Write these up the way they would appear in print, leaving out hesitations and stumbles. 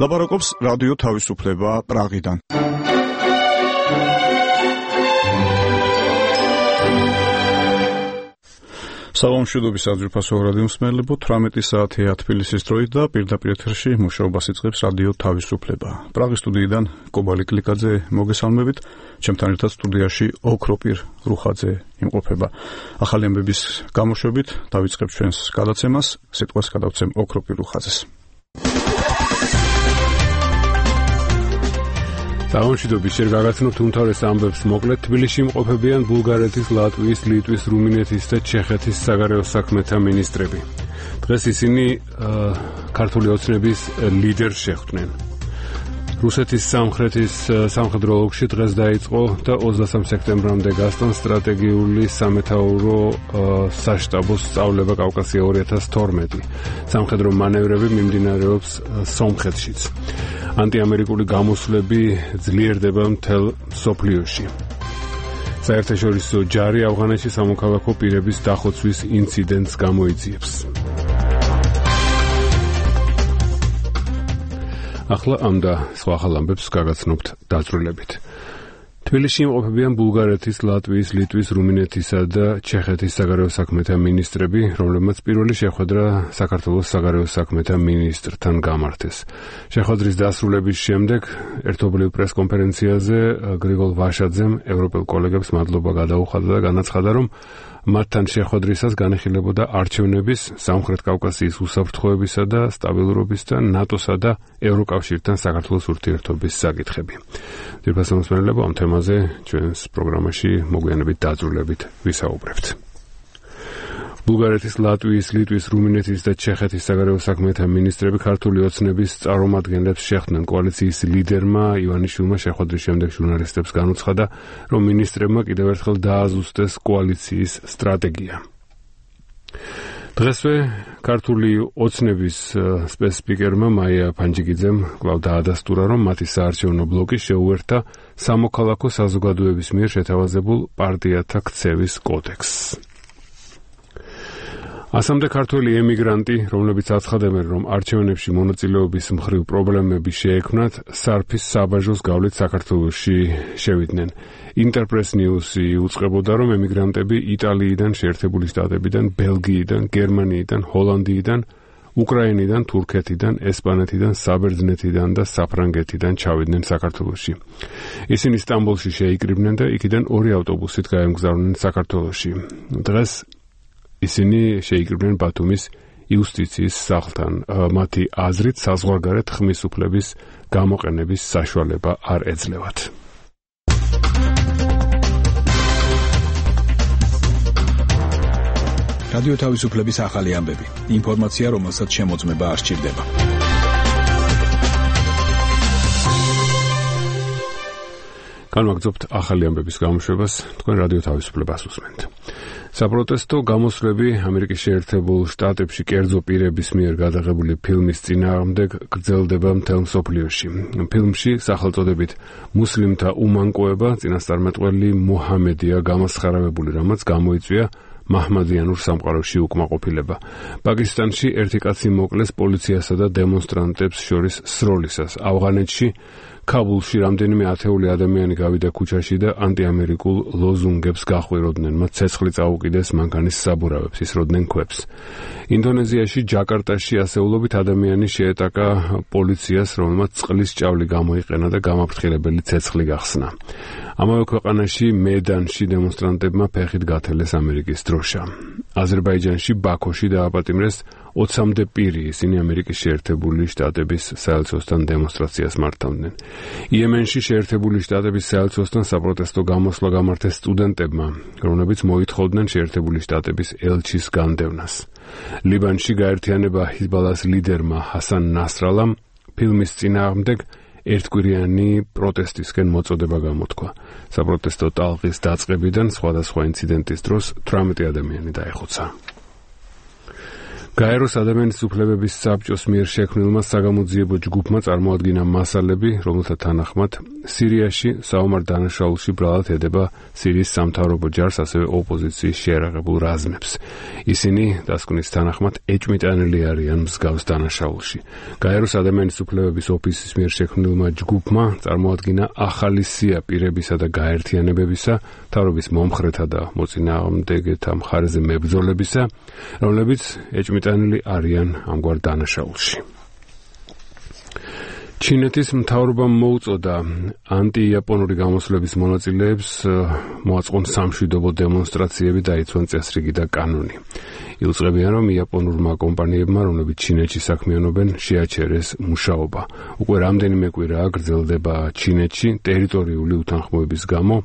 ლაპარაკობს რადიო თავისუფლება პრაღიდან. სალამშვიდობის საძირფასო რადიო მსმენელებო, 18 საათია თბილისის დროით და პირდაპირ ეთერში მუშაობას იწყებს რადიო თავისუფლება. პრაღის სტუდიიდან კობალი კლიკაძე მოგესალმებით. ჩემთან ერთად სტუდიაში ოქროპირ რუხაძე იმყოფება. ახალი ამბების გამოშვებით დავიწყებ ჩვენს გადაცემას. სიტყვას გადავცემ ოქროპირ რუხაძეს. სალამშვიდობის შენ გაგაცნობთ უმთავრეს ამბებს მოკლედ. თბილისში იმყოფებიან ბულგარეთის, ლატვიის, ლიტვის, რუმინეთის და ჩეხეთის საგარეო საქმეთა მინისტრები. დღეს ისინი ქართული ოცნების ლიდერს შეხვდნენ. რუსეთის სამხედრო ოლქში დღეს დაიწყო და 23 სექტემბრამდე გასტან სტრატეგიული სამეთაურო საშტაბოს სწავლება კავკასია 2012. სამხედრო მანევრები მიმდინარეობს სომხეთშიც. ანტიამერიკული გამოსვლები ძლიერდება მთელ მსოფლიოში. საერთაშორისო ჯარი ავღანეთში სამოქალაქო პირების დახოცვის ინციდენტს გამოიძიებს. ახლა ამ და სხვა ახალ ამბებს გაგაცნობთ დაწვრილებით. თბილისში იმყოფებიან ბულგარეთის, ლატვიის, ლიტვის, რუმინეთისა და ჩეხეთის საგარეო საქმეთა მინისტრები, რომლებმაც პირველი შეხვედრა საქართველოს საგარეო საქმეთა მინისტრთან გამართეს. შეხვედრის დასრულების შემდეგ ერთობლივ პრესკონფერენციაზე გრიგოლ ვაშაძემ ევროპელ კოლეგებს მადლობა გადაუხადა და განაცხადა, რომ მათთან შეხვედრისას განიხილებოდა არჩევნების, სამხრეთ კავკასიის უსაფრთხოებისა და სტაბილურობის და ნატოსა და ევროკავშირთან საქართველოს ურთიერთობის საკითხები. ძირფასო მსმენელებო, ამ თემაზე ჩვენს პროგრამაში მოგვიანებით დაძრულებით ვისაუბრებთ. ბულგარეთის, ლატვიის, ლიტვის, რუმინეთის და ჩეხეთის საგარეო საქმეთა მინისტრები ქართული ოცნების წარმომადგენლებს შეხვდნენ. კოალიციის ლიდერმა ივანიშვილმა შეხვედრის შემდეგ ჟურნალისტებს განუცხადა, რომ მინისტრებმა კიდევ ერთხელ დააზუსტეს კოალიციის სტრატეგია. დღესვე ქართული ოცნების სპეცსპიკერმა მაია ფანჯიგიძემ კვლავ დაადასტურა, რომ მათი საარჩევნო ბლოკი შეუერთდა სამოქალაქო საზოგადოების მიერ შეთავაზებულ პარტიათა ქცევის კოდექსს. ასამდე ქართველი ემიგრანტი, რომლებიც აცხადებენ, რომ არჩევნებში მონაწილეობის მხრივ პრობლემები შეექმნათ, სარფის საბაჟოს გავლით საქართველოში შევიდნენ. ინტერპრეს ნიუსი უწყებოდა, რომ ემიგრანტები იტალიიდან, შეერთებული შტატებიდან, ბელგიიდან, გერმანიიდან, ჰოლანდიიდან, უკრაინიდან, თურქეთიდან, ესპანეთიდან, საბერძნეთიდან და საფრანგეთიდან ჩავიდნენ საქართველოში. ისინი სტამბოლში შეიკრიბნენ და იქიდან 2 ავტობუსით გაემგზავრნენ საქართველოში. დღეს ისინი შეიკრიბნენ ბათუმის იუსტიციის სახლთან. მათი აზრით საზღვარგარეთ ხმის უფლების გამოყენების საშუალება არ ეძლევათ. რადიო თავისუფლების ახალი ამბები. ინფორმაცია, რომელსაც შემოწმება არ სჭირდება. განვაგრძობთ ახალი ამბების გამოშვებას, თქვენ რადიო თავისუფლებას უსმენთ. საპროტესტო გამოსვლები ამერიკის შეერთებულ შტატებში კერძო პირების მიერ გადაღებული ფილმის წინააღმდეგ გრძელდება მთელ მსოფლიოში. ფილმში სახელწოდებით მუსლიმთა უმანკოება წინასწარმეტყველი მუჰამედია გამოსხარავებული, რამაც გამოიწვია მაჰმადიანურ სამყაროში უკმაყოფილება. პაკისტანში ერთი კაცი მოკლეს პოლიციასა და დემონსტრანტებს შორის სროლისას. ავღანეთში ქაბულში რამდენიმე ათეული ადამიანი გავიდა ქუჩაში და ანტიამერიკულ ლოზუნგებს გახვიროდნენ. მათ ცეცხლი წაუკიდეს მანქანის საბურავებს, ისროდნენ ქვებს. ინდონეზიაში, ჯაკარტაში ასეულობით ადამიანი შეეტაკა პოლიციას, რომელმაც წყლის ჭავლი გამოიყენა და გამაფრთხილებელი ცეცხლი გახსნა. ამავე ქვეყანაში, მედანში დემონსტრანტებმა ფეხით გათელეს ამერიკის დროშა. აზერბაიჯანში, ბაქოში დააპატიმრეს 20-მდე პირი, ისინი ამერიკის შეერთებული შტატების საელჩოსთან დემონსტრაციას მართავდნენ. იემენში შეერთებული შტატების საელჩოსთან საპროტესტო გამოსვლა გამართეს სტუდენტებმა, რომლებიც მოითხოვდნენ შეერთებული შტატების ელჩის განდევნას. ლიბანში გაერთიანება ჰიზბალას ლიდერმა ჰასან ნასრალამ ფილმის წინააღმდეგ ერთკვირიანი პროტესტისკენ მოწოდება გამოთქვა. საპროტესტო ტალღის დაწყებიდან სხვადასხვა ინციდენტის დროს 18 ადამიანი დაეხოცა. გაეროს ადამიანის უფლებების საბჭოს მიერ შექმნილმა საგამოძიებო ჯგუფმა წარმოადგინა მასალები, რომელთა თანახმად სირიაში საომარ დანაშაულში ბრალად ედება სირიის სამთავრობო ჯარს, ასევე ოპოზიციის შეერაღებულ რაზმებს. ისინი დასკვნის თანახმად ეჭვმიტანილი არიან მსგავს დანაშაულში. გაეროს ადამიანის უფლებების ოფისის მიერ შექმნილმა ჯგუფმა წარმოადგინა ახალი სია პირებისა და გაერთიანებებისა, მთავრობის მომხრეთა და მოწინააღმდეგეთა მხარეზე მებრძოლებისა, რომლებიც ეჭვმიტანილი არიან ამგვარ დანაშაულში. ჩინეთის მთავრობამ მოუწოდა ანტიიაპონური გამოსვლების მონაწილეებს მოაწყონ სამშვიდობო დემონსტრაციები, დაიცვან წესრიგი და კანონი. ილწყებიან, რომ იაპონურმა კომპანიებმა, რომლებიც ჩინეთში საქმიანობენ, შეაჩერეს მუშაობა. უკვე რამდენიმე კვირაა გრძელდება ჩინეთში ტერიტორიული უთანხმოების გამო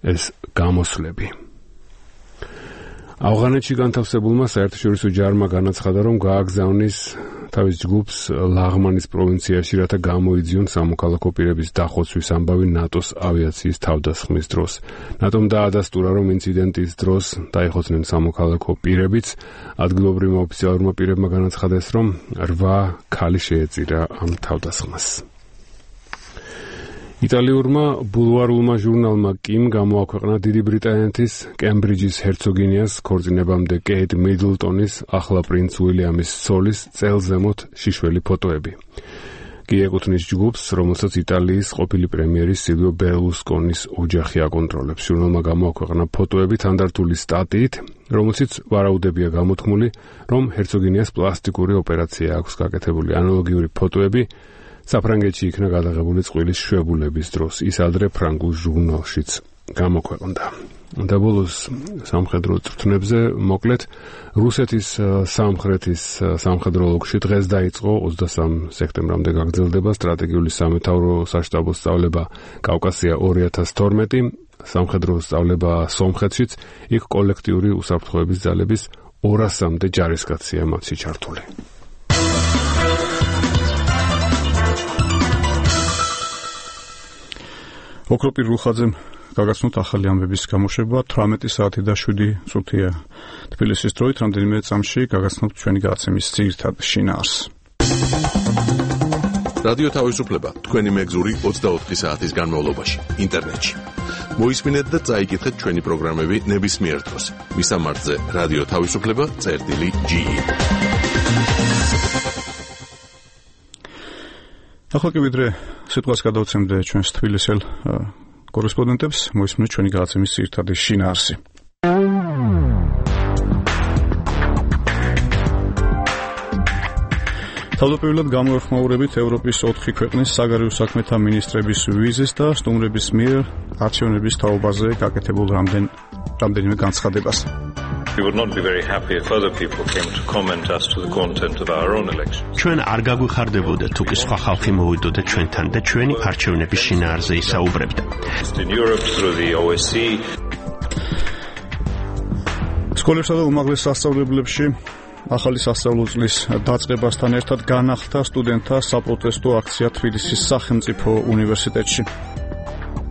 ეს გამოსვლები. ავღანეთში განთავსებულმა საერთაშორისო ჯარმა განაცხადა, რომ გააგზავნის თავის ჯგუფს ლაღმანის პროვინციაში, რათა გამოიძიონ სამოქალაქო პირების დახოცვის ამბავი ნატოს ავიაციის თავდასხმის დროს. ნატომ დაადასტურა, რომ ინციდენტის დროს დაიხოცნენ სამოქალაქო პირებიც. ადგილობრივმა ოფიციალურმა პირებმა განაცხადეს, რომ 8 ქალი შეეწირა ამ თავდასხმას. იტალიურმა ბულვარულმა ჟურნალმა კიმ გამოაქვეყნა დიდი ბრიტანეთის კემბრიჯის ჰერცოგინიას ქორწინებამდე კეიტ მიდლტონის ახლა პრინც უილიამის ცოლის წელზემოთ შიშველი ფოტოები. კი ეკუთვნის ჯგუფს, რომელსაც იტალიის ყოფილი პრემიერის სილვიო ბერლუსკონის ოჯახი აკონტროლებს. ჟურნალმა გამოაქვეყნა ფოტოები თანდართული სტატიით, რომელშიც ვარაუდებია გამოთქმული, რომ ჰერცოგინიას პლასტიკური ოპერაცია აქვს გაკეთებული. ანალოგიური ფოტოები საფრანგეთში იქნა გადაღებული წყვილის შვებულების დროს. ის ადრე ფრანგულ ჟურნალშიც გამოქვეყნდა. და ბოლოს სამხედრო წვრთნებზე მოკლედ რუსეთის სამხრეთის სამხედრო ოლქში დღეს დაიწყო 23 სექტემბრამდე გაგრძელდება სტრატეგიული სამეთაურო საშტაბო სწავლება კავკასია 2012, სამხედრო სწავლება სომხეთშიც, იქ კოლექტიური უსაფრთხოების ძალების 200-მდე ჯარისკაცია მათში ჩართული. ოქროპირ რუხაძემ გაგაცნოთ ახალი ამბების გამოშვება 18 საათი და 7 წუთია. თბილისის დროით რამდენიმე წამში გაგაცნობთ ჩვენი გადაცემის ძირითად შინაარსს. რადიო თავისუფლება თქვენი მეგზური 24 საათის განმავლობაში ინტერნეტში. მოისმინეთ და წაიკითხეთ ჩვენი პროგრამები ნებისმიერ დროს. მისამართზე რადიო თავისუფლება.ge. ახლა კი ვიდრე სიტყვას გადავცემდე ჩვენს თბილისელ კორესპონდენტებს, მოისმინეთ ჩვენი გადაცემის ძირითადი შინაარსი. თავდაპირველად გამოეხმაურებით ევროპის 4 ქვეყნის საგარეო საქმეთა მინისტრების ვიზის და სტუმრების მიერ არჩევნების თაობაზე გაკეთებულ რამდენიმე განცხადებას. We would not be very happy if other people came to comment as to the content of our own elections. ჩვენ არ გაგვიხარდებოდა თუ კი სხვა ხალხი მოვიდოდა ჩვენთან და ჩვენი არჩევნების შინაარსზე ისაუბრებდა. In Europe through the OSCE. სკოლებსა და უმაღლეს სასწავლებლებში ახალი სასწავლო წლის დაწყებასთან ერთად განახლდა სტუდენტთა საპროტესტო აქცია თბილისის სახელმწიფო უნივერსიტეტში.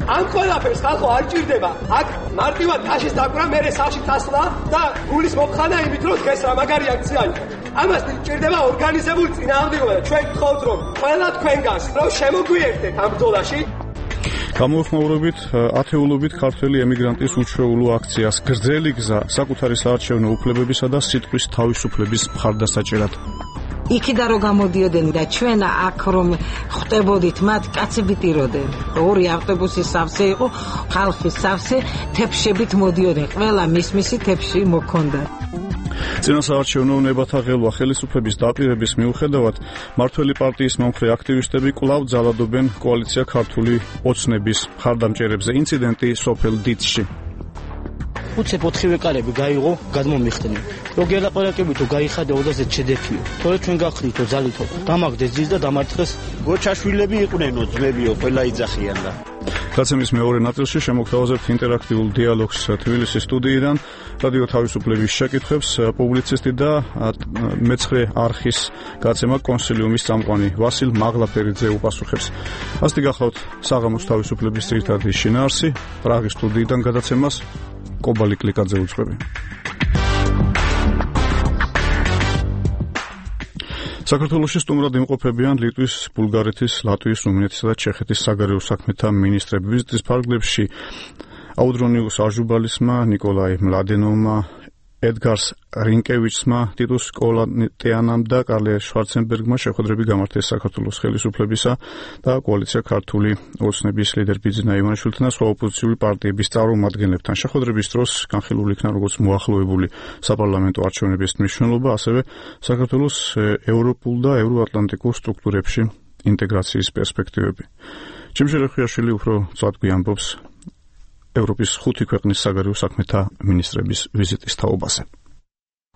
ამ ყველაფერს ხალხო არ ჭირდება. აქ მარტივად კაშის დაკვრა, მერე სახლში დასვლა და გულის მოხანა იმით, რომ დღეს რა მაგარი აქცია იყო. ამას ჭირდება ორგანიზებული წინააღმდეგობა და ჩვენ გთხოვთ, რომ ყველა თქვენგანს რომ შემოგვიერთდეთ ამ ბრძოლაში. გამოეხმაურებით ათეულობით ქართველი ემიგრანტის უჩვეულო აქციას გრძელი გზა საკუთარი საარჩევნო უფლებებისა და სიტყვის თავისუფლების მხარდასაჭერად. იქიდან რომ გამოდიოდნენ და ჩვენ აქ რომ ხვდებოდით მათ კაცები ტიროდნენ. 2 ავტობუსის სავსე იყო, ხალხის სავსე, თეფშებით მოდიოდნენ. ყველა მის თეფში მოქონდა. წინასაარჩევნო ნებათა ღელვა ხელისუფლების დაპირების მიუხედავად მართველი პარტიის მომხრე აქტივისტები კვლავ ძალადობენ კოალიცია ქართული ოცნების მხარდამჭერებზე. ინციდენტი სოფელ დიცში. უცებ 4 ვეკარები გაიღო, გადმომიხდნენ. რო გელაპარაკებითო გაიხადა 20 შედეფიო. თორე ჩვენ გახდითო ძალითო. დამაგდეს ძის და დამარცხეს. გოჩაშვილები იყვნენო, ძმებიო, ყველა იძახიან და. გადაცემის მეორე ნაწილში შემოგთავაზებთ ინტერაქტიულ დიალოგს თბილისის სტუდიიდან. რადიო თავისუფლების შეკითხვებს პუბლიცისტი და მეცხრე არხის გადაცემა კონსილიუმის წამყვანი ვასილ მაღლაფერიძე უპასუხებს. ასეთი გახლავთ საღამოს თავისუფლების ძირითადი შინაარსი. პრაღის სტუდიიდან გადაცემას კობალი კლიკაძე უძღვები. საქართველოში სტუმრად იმყოფებიან ლიტვის, ბულგარეთის, ლატვიის, რუმინეთისა და ჩეხეთის საგარეო საქმეთა მინისტრები. ვიზიტის ფარგლებში აუდრონიუს აჟუბალისმა, ნიკოლაი მლადენოვმა, ედგარს რინკევიჩსმა, ტიტუს კოლატიანამ და კარლე შვარცენბერგმა შეხვედრები გამართეს საქართველოს ხელისუფლებისა და კოალიცია ქართული ოცნების ლიდერ ბიძინა ივანიშვილთან და სხვა ოპოზიციური პარტიების წარმომადგენლებთან. შეხვედრების დროს განხილული იქნა როგორც მოახლოებული საპარლამენტო არჩევნების მნიშვნელობა, ასევე საქართველოს ევროპულ და ევროატლანტიკურ სტრუქტურებში ინტეგრაციის პერსპექტივები. ჯიმშე რეხვიაშვილი უფრო წვდგი ამბობს ევროპის 5 ქვეყნის საგარეო საქმეთა მინისტრების ვიზიტის თაობაზე.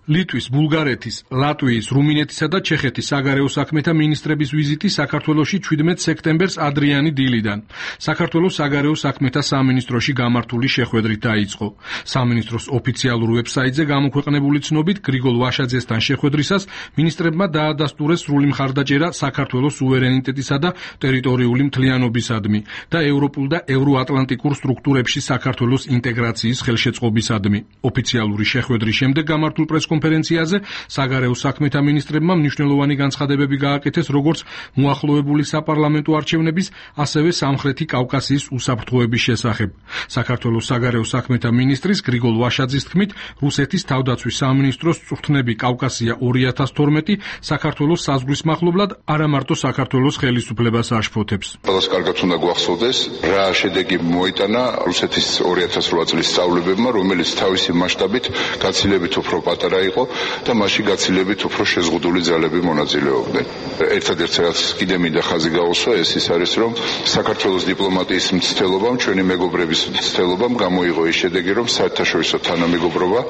ლიტვის, ბულგარეთის, ლატვიის, რუმინეთისა და ჩეხეთის საგარეო საქმეთა მინისტრების ვიზიტი საქართველოში 17 სექტემბერს ადრიანი დილიდან საქართველოს საგარეო საქმეთა სამინისტროში გამართული შეხვედრით დაიწყო. სამინისტროს ოფიციალურ ვებსაიტზე გამოქვეყნებული ცნობით გრიგოლ ვაშაძესთან შეხვედრისას მინისტრებმა დაადასტურეს სრული მხარდაჭერა საქართველოს სუვერენიტეტისა და ტერიტორიული მთლიანობისადმი და ევროპულ და ევროატლანტიკურ სტრუქტურებში საქართველოს ინტეგრაციის ხელშეწყობისადმი. ოფიციალური შეხვედრის შემდეგ გამართულ კონფერენციაზე საგარეო საქმეთა მინისტრებმა მნიშვნელოვანი განცხადებები გააკეთეს როგორც მოახლოებული საპარლამენტო არჩევნების, ასევე სამხრეთი კავკასიის უსაფრთხოების შესახებ. საქართველოს საგარეო საქმეთა მინისტრის გრიგოლ ვაშაძის თქმით, რუსეთის თავდაცვის სამინისტროს წვრთნები კავკასია 2012 საქართველოს საზღვრის მახლობლად არა მარტო საქართველოს ხელისუფლებას აშფოთებს. ყველას კარგად უნდა გვახსოვდეს, რა შედეგი მოიტანა რუსეთის 2008 წლის სწავლებებმა, რომელიც თავისი მასშტაბით გაცილებით უფრო პატარა იყო და მასში გაცილებით უფრო შეზღუდული ძალები მონაწილეობდნენ. ერთადერთი რაც კიდე მინდა ხაზი გაუსვა, ის არის, რომ საქართველოს დიპლომატიის მცდელობამ, ჩვენი მეგობრების მცდელობამ გამოიღო ის შედეგი, რომ საერთაშორისო თანამეგობრობა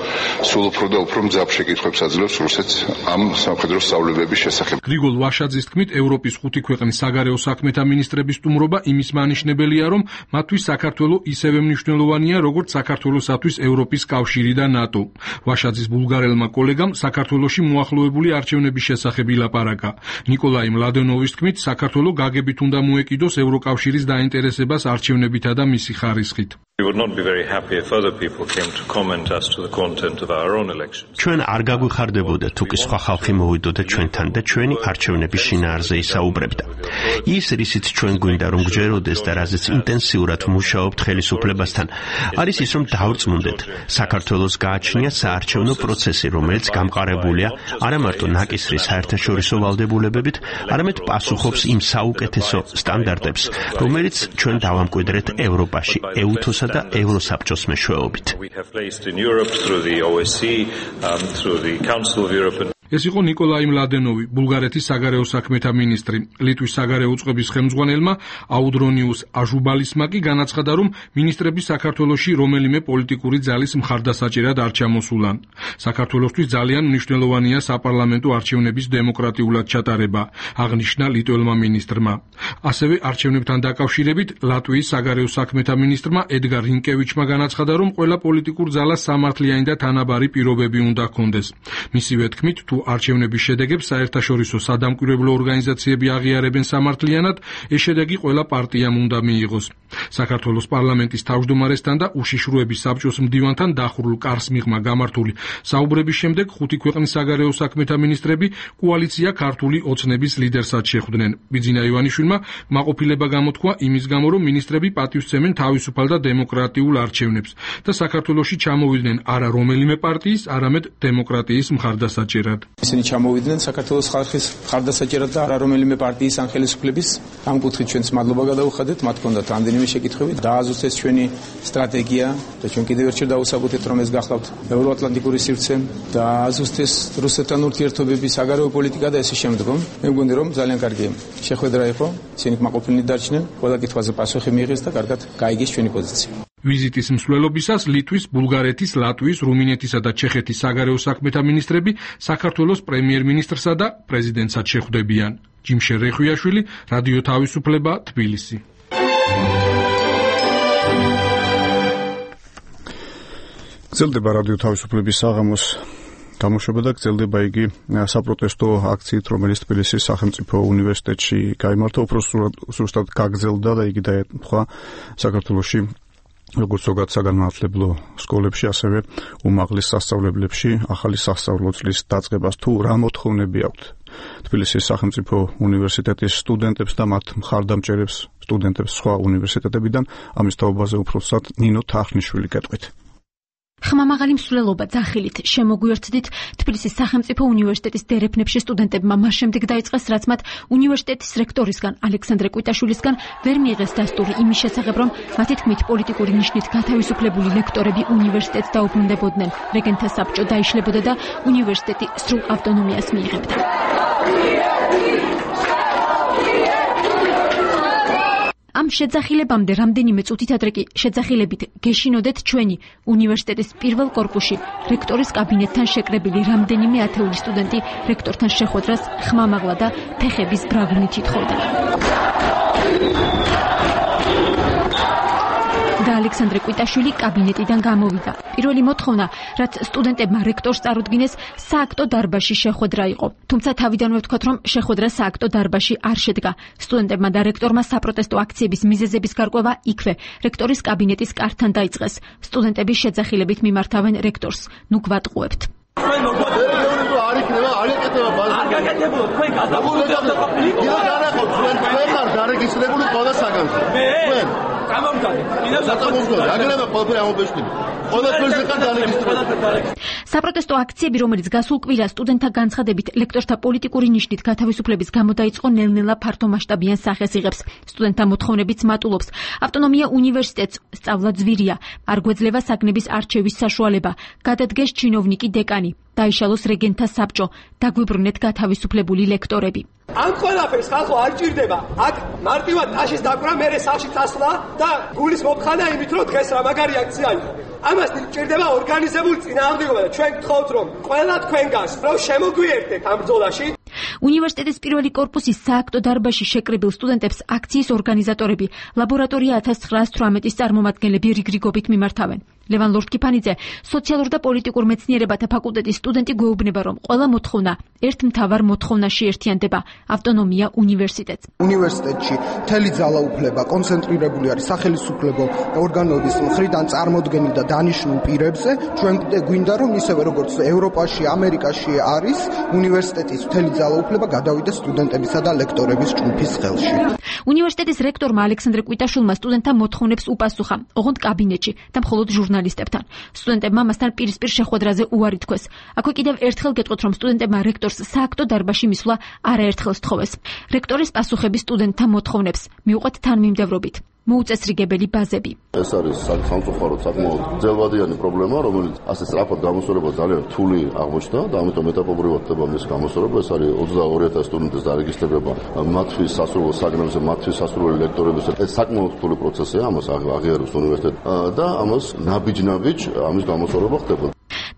სულ უფრო და უფრო მძაფ შეკითხვებს აძლევს რუსეთს ამ სამხედრო სწავლებების შესახებ. გრიგოლ ვაშაძის თქმით, ევროპის 5 ქვეყნის საგარეო საქმეთა მინისტრების სტუმრობა იმის მანიშნებელია, რომ მათთვის საქართველო ისევე მნიშვნელოვანია, როგორც საქართველოსათვის ევროპის კავშირი და ნატო. ვაშაძის ბულგარელმა კოლეგამ საქართველოში მოახლოებული არჩევნების შესახებ ილაპარაკა. ნიკოლაი მლადენოვის თქმით, საქართველო გაგებით უნდა მოეკიდოს ევროკავშირის დაინტერესებას არჩევნებითა და მისი ხარისხით. We would not be very happy if other people came to comment as to the content of our own elections. ჩვენ არ გაგვიხარდებოდა თუ კი სხვა ხალხი მოვიდოდა ჩვენთან და ჩვენი არჩევნების შინაარზე ისაუბრებდა. ის რისიც ჩვენ გვინდა რომ გჯეროდეს და რაზეც ინტენსიურად მუშაობთ ხელისუფლებასთან, არის ის რომ დავრწმუნდეთ საქართველოს გააჩნია საარჩევნო პროცესი, რომელიც გამყარებულია არა მარტო ნაკისრის საერთაშორისო ვალდებულებებით, არამედ პასუხობს იმ საუკეთესო სტანდარტებს, რომელიც ჩვენ დავამკვიდრეთ ევროპაში, ეუთოსა და ევროსაბჭოს მეშვეობით. ეს იყო ნიკოლაი მლადენოვი, ბულგარეთის საგარეო საქმეთა მინისტრი. ლიტვის საგარეო უწყების ხელმძღვანელმა აუდრონიუს აჟუბალისმა კი განაცხადა, რომ მინისტრები საქართველოში რომელიმე პოლიტიკური ძალის მხარდასაჭერად არ ჩამოსულან. საქართველოსთვის ძალიან მნიშვნელოვანია საპარლამენტო არჩევნების დემოკრატიულად ჩატარება, აღნიშნა ლიტველმა მინისტრმა. ასევე არჩევნებთან დაკავშირებით ლატვიის საგარეო საქმეთა მინისტრმა ედგარ რინკევიჩმა განაცხადა, რომ ყველა პოლიტიკურ ძალას სამართლიანი და თანაბარი პირობები უნდა ჰქონდეს. მისივე თქმით, თუ არჩევნების შედეგებს საერთაშორისო სადამკვირვებლო ორგანიზაციები აღიარებენ სამართლიანად, ეს შედეგი ყველა პარტიამ უნდა მიიღოს. საქართველოს პარლამენტის თავმჯდომარესთან და უშიშროების საბჭოს მდივანთან დახურულ კარს მიღმა გამართული საუბრების შემდეგ 5 ქვეყნის საგარეო საქმეთა მინისტრები კოალიცია ქართული ოცნების ლიდერსაც შეხვდნენ. ბიძინა ივანიშვილმა მაყოფილება გამოთქვა იმის გამო, რომ მინისტრები პატივსცემენ თავისუფალ და დემოკრატიულ არჩევნებს და საქართველოში ჩამოვიდნენ არა რომელიმე პარტიის, არამედ დემოკრატიის მხარდასაჭერად. ისინი ჩამოვიდნენ საქართველოს ხალხის მხარდასაჭერად და არა რომელიმე პარტიის ან ხელისუფლების. ამ კუთხით ჩვენს მადლობა გადავუხადეთ, მათ ჰქონდათ რამდენიმე შეკითხვები, დააზუსტეს ჩვენი სტრატეგია და ჩვენ კიდევ ერთხელ დავუსაბუთეთ, რომ ეს გახლავთ ევროატლანტიკური სივრცე და აზუსტეს რუსეთთან ურთიერთობების საგარეო პოლიტიკა და ესე შემდგომ. მე მგონი, რომ ძალიან კარგი შეხვედრა იყო, ისინი კმაყოფილნი დარჩნენ, ყველა კითხვაზე პასუხი მიიღეს და კარგად გაიგეს ჩვენი პოზიცია. ვიზიტის მსვლელობისას ლიტვის, ბულგარეთის, ლატვიის, რუმინეთისა და ჩეხეთის საგარეო საქმეთა მინისტრები საქართველოს პრემიერ-მინისტრსა და პრეზიდენტსაც შეხვდებიან. ჯიმშე რეხვიაშვილი, რადიო თავისუფლება, თბილისი. გრძელდება რადიო თავისუფლების საღამოს გამოშვება და გრძელდება იგი საპროტესტო აქციით, რომელიც თბილისის სახელმწიფო უნივერსიტეტში გაიმართა, უფრო სუსტად გაგრძელდა და იგი დაემთხვა საქართველოში როგორც ზოგად საგანმანათლებლო სკოლებში, ასევე უმაღლეს სასწავლებლებში ახალი სასწავლო წლის დაწყებას თუ რა მოთხოვნები აქვთ თბილისის სახელმწიფო უნივერსიტეტის სტუდენტებს და მათ მხარდამჭერებს სტუდენტებს სხვა უნივერსიტეტებიდან, ამის თაობაზე უბრალოდ ნინო თახნიშვილი გეტყვით. ხმამაღალი მსვლელობა ძახილით შემოგვიერთდით თბილისის სახელმწიფო უნივერსიტეტის დერეფნებში სტუდენტებმა მას შემდეგ დაიწყეს, რაც მათ უნივერსიტეტის რექტორისგან ალექსანდრე კვიტაშვილისგან ვერ მიიღეს დასტური იმის შესახებ, რომ მათი თქმით პოლიტიკური ნიშნით გათავისუფლებული ლექტორები უნივერსიტეტს დაუბრუნდებოდნენ, რეგენტთა საბჭო დაიშლებოდა და უნივერსიტეტი სრულ ავტონომიას მიიღებდა. ამ შეძახილებამდე რამდენიმე წუთით ადრე კი შეძახილებით გეშინოდეთ ჩვენი უნივერსიტეტის პირველ კორპუსში რექტორის კაბინეტთან შეკრებილი რამდენიმე ათეული სტუდენტი რექტორთან შეხვედრას ხმამაღლა და ფეხების ბრაგვინით ითხოვდა. და ალექსანდრე კვიტაშვილი კაბინეტიდან გამოვიდა. პირველი მოთხოვნა, რაც სტუდენტებმა რექტორს წარუდგინეს, სააქტო დარბაზში შეხვედრა იყო. თუმცა თავიდანვე ვთქვათ, რომ შეხვედრა სააქტო დარბაზში არ შედგა. სტუდენტებმა და რექტორმა საპროტესტო აქციების მიზეზების გარკვევა იქვე, რექტორის კაბინეტის კართან დაიწყეს. სტუდენტები შეძახილებით მიმართავენ რექტორს. ნუ გვატყუებთ. არ იქნება, არ ეკეთება ბაზარი. არ გაკეთებულო, თქვენ გადაგულდებთ. თქვენ დარეგისტრირებული ყველა საგანზე. თქვენ საპროტესტო აქციები, რომელიც გასულ კვირას სტუდენტთა განცხადებით ლექტორთა პოლიტიკური ნიშნით გათავისუფლების გამო დაიწყო, ნელ-ნელა ფართომასშტაბიან სახეს იღებს. სტუდენტთა მოთხოვნებიც მატულობს. ავტონომია უნივერსიტეტს სწავლა ძვირია, არ გვეძლევა საგნების არჩევის საშუალება, გადადგეს ჩინოვნიკი დეკანი, დაიშალოს რეგენტთა საბჭო, დაგვიბრუნეთ გათავისუფლებული ლექტორები. ამ ყველაფერს ხალხო არ ჭირდება. აქ მარტივად ტაშის დაკვრა, მერე სახლში წასვლა და გულის მოფხანა იმით, რომ დღეს რა მაგარი აქცია იყო. ამას ჭირდება ორგანიზებული წინააღმდეგობა და ჩვენ გთხოვთ, რომ ყველა თქვენგანს რომ შემოგვიერთდეთ ამ ბრძოლაში. უნივერსიტეტის პირველი კორპუსის სააქტო დარბაზში შეკრებილ სტუდენტებს აქციის ორგანიზატორები ლაბორატორია 1918-ის წარმომადგენლები რიგრიგობით მიმართავენ. ლევან ლორთქიფანიძე, სოციალურ და პოლიტიკურ მეცნიერებათა ფაკულტეტის სტუდენტი, გვეუბნება, რომ ყველა მოთხოვნა ერთ მთავარ მოთხოვნაში ერთიანდება: ავტონომია უნივერსიტეტს. უნივერსიტეტში მთელი ძალაუფლება კონცენტრირებული არის სახელმწიფო ორგანოების მხრიდან წარმოდგენილ და დანიშნულ პირებზე. ჩვენ გვინდა, რომ ისევე როგორც ევროპაში, ამერიკაში არის, უნივერსიტეტის მთელი ძალაუფლება გადავიდეს სტუდენტებისა და ლექტორების ჯგუფის ხელში. უნივერსიტეტის რექტორმა ალექსანდრე კვიტაშვილმა სტუდენტთა მოთხოვნებს უპასუხა, ოღონდ კაბინეტში და მხოლოდ ჟურნალისტებთან. სტუდენტებმა მასთან პირისპირ შეხვედრაზე უარი თქვეს. აქვე კიდევ ერთხელ გეტყვით, რომ სტუდენტებმა რექტორს სააქტო დარბაზში მისვლა არაერთხელ სთხოვეს. რექტორის პასუხები სტუდენტთა მოთხოვნებს მიუყვეთ თანმიმდევრობით. მოუწესრიგებელი ბაზები. ეს არის სამწუხაროდ საკმაოდ ძელვადიანი პრობლემა, რომელიც ასე სწრაფად გამოსწორება ძალიან რთული აღმოჩნდა და ამიტომ ეტაპობრივად ხდება მის გამოსწორება. ეს არის 22000 სტუდენტის დარეგისტრირება მათთვის სასურველ საგნებზე, მათთვის სასურველი ლექტორების. ეს საკმაოდ რთული პროცესია, ამას აღიარებს უნივერსიტეტი და ამას ნაბიჯ ამის გამოსწორება ხდება.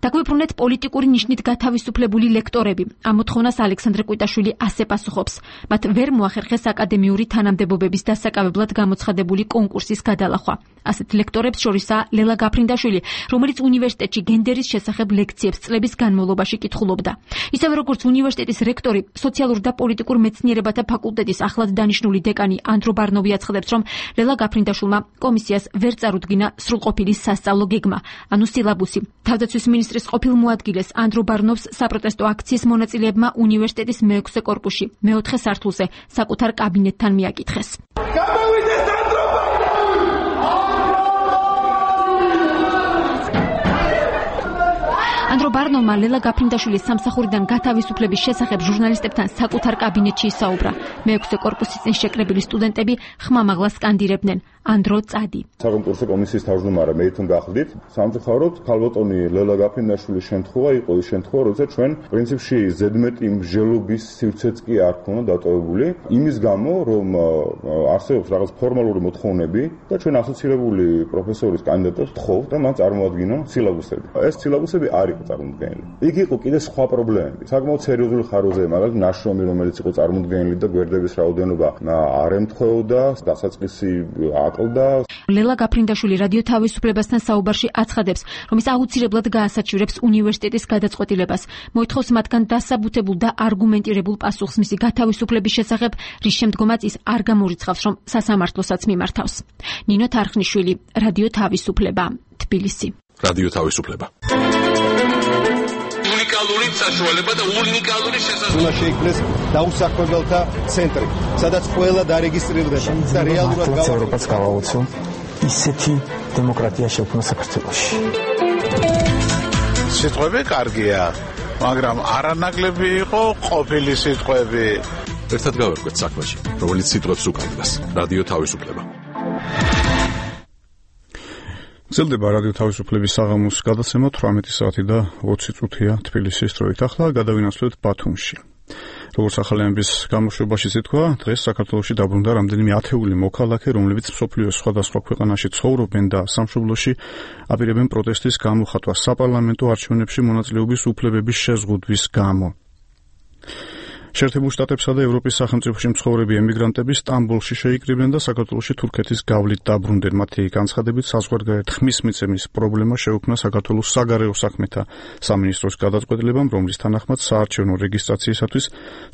დაგვიბრუნეთ პოლიტიკური ნიშნით გათავისუფლებული ლექტორები. ამ მოთხოვნას ალექსანდრე კვიტაშვილი ასე პასუხობს. მათ ვერ მოახერხეს აკადემიური თანამდებობების დასაკავებლად გამოცხადებული კონკურსის გადალახვა. ასეთ ლექტორებს შორისაა ლელა გაფრინდაშვილი, რომელიც უნივერსიტეტში გენდერის შესახებ ლექციებს წლების განმავლობაში კითხულობდა. ისევე როგორც უნივერსიტეტის რექტორი, სოციალურ და პოლიტიკურ მეცნიერებათა ფაკულტეტის ახლად დანიშნული დეკანი ანდრო ბარნოვი აცხადებს, რომ ლელა გაფრინდაშვილმა კომისიას ვერ წარუდგინა სრულყოფილი სასწავლო გეგმა, ანუ სილაბუსი. თავდაცვის მინისტრის ყოფილ მოადგილეს ანდრო ბარნოვს საპროტესტო აქციის მონაწილეებმა უნივერსიტეტის მეექვსე კორპუსში, მეოთხე სართულზე, საკუთარ კაბინეტთან მიაკითხეს. ანდრო ბარნოვმა ლელა გაფრინდაშვილის სამსახურიდან გათავისუფლების შესახებ ჟურნალისტებთან საკუთარ კაბინეტში ისაუბრა. მეექვსე კორპუსის წინ შეკრებილი სტუდენტები ხმამაღლა სკანდირებდნენ: ანდრო წადი. საკონკურსო კომისიის თავმჯდომარე მე თვითონ გახდით. სამწუხაროდ ქალბატონი ლელა გაფრინდაშვილის შემთხვევა იყო ის შემთხვევა, როცა ჩვენ პრინციპში ზედმეტი მსჯელობის სივრცეც კი არ ქონა დატოვებული, იმის გამო, რომ არსებობს რაღაც ფორმალური მოთხოვნები და ჩვენ ასოცირებული პროფესორის კანდიდატებს ვთხოვთ და მათ წარმოადგინონ სილაბუსები. ეს სილაბუსები არ იყო წარმოდგენილი. წარმოდგენილი. იქ იყო კიდე სხვა პრობლემები. საკმაოდ სერიოზული ხაროზე, მაგალითად, ნაშრომი, რომელიც იყო წარმოდგენილი და გვერდების რაოდენობა არ ემთხვეოდა, დასაწყისი აკლდა. ლელა გაფრინდაშვილი რადიო თავისუფლებასთან საუბარში აცხადებს, რომ ის აუცილებლად გაასაჩივრებს უნივერსიტეტის გადაწყვეტილებას, მოითხოვს მათგან დასაბუთებულ და არგუმენტირებულ პასუხს მისი გათავისუფლების შესახებ, რის შემდგომაც ის არ გამორიცხავს, რომ სასამართლოსაც მიმართავს. ნინო თარხნიშვილი, რადიო თავისუფლება, თბილისი. რადიო თავისუფლება. უნიკალური საშუალება და უნიკალური შესაძლებლობა. უნდა შეიქმნეს დაუსახმებელთა ცენტრი, სადაც ყველა დარეგისტრირდება და რეალურად ევროპას გავაუწო ისეთი დემოკრატია შექმნა საქართველოში. სიტყვები კარგია, მაგრამ არანაკლები იყო ყოფილი სიტყვები. ერთად გავერკვეთ საქმეში, რომელიც სიტყვებს უკავშირდება. რადიო თავისუფლება. გრძელდება რადიო თავისუფლების საღამოს გადაცემა 18 საათი და 20 წუთია თბილისის დროით. ახლა გადავინაცვლოთ ბათუმში. როგორც ახალიანების გამოშვებაში ითქვა, დღეს საქართველოში დაბრუნდა რამდენიმე ათეული მოქალაქე, რომლებიც მსოფლიოს სხვადასხვა ქვეყანაში ცხოვრობენ და სამშობლოში აპირებენ პროტესტის გამოხატვას საპარლამენტო არჩევნებში მონაწილეობის უფლებების შეზღუდვის გამო. შეერთებულ შტატებსა და ევროპის სახელმწიფოში მცხოვრები ემიგრანტები სტამბოლში შეიკრიბნენ და საქართველოში თურქეთის გავლით დაბრუნდნენ. მათი განცხადებით, საზღვარგარეთ ხმის მიცემის პრობლემა შეუქმნა საქართველოს საგარეო საქმეთა სამინისტროს გადაწყვეტილებამ, რომლის თანახმად საარჩევნო რეგისტრაციისათვის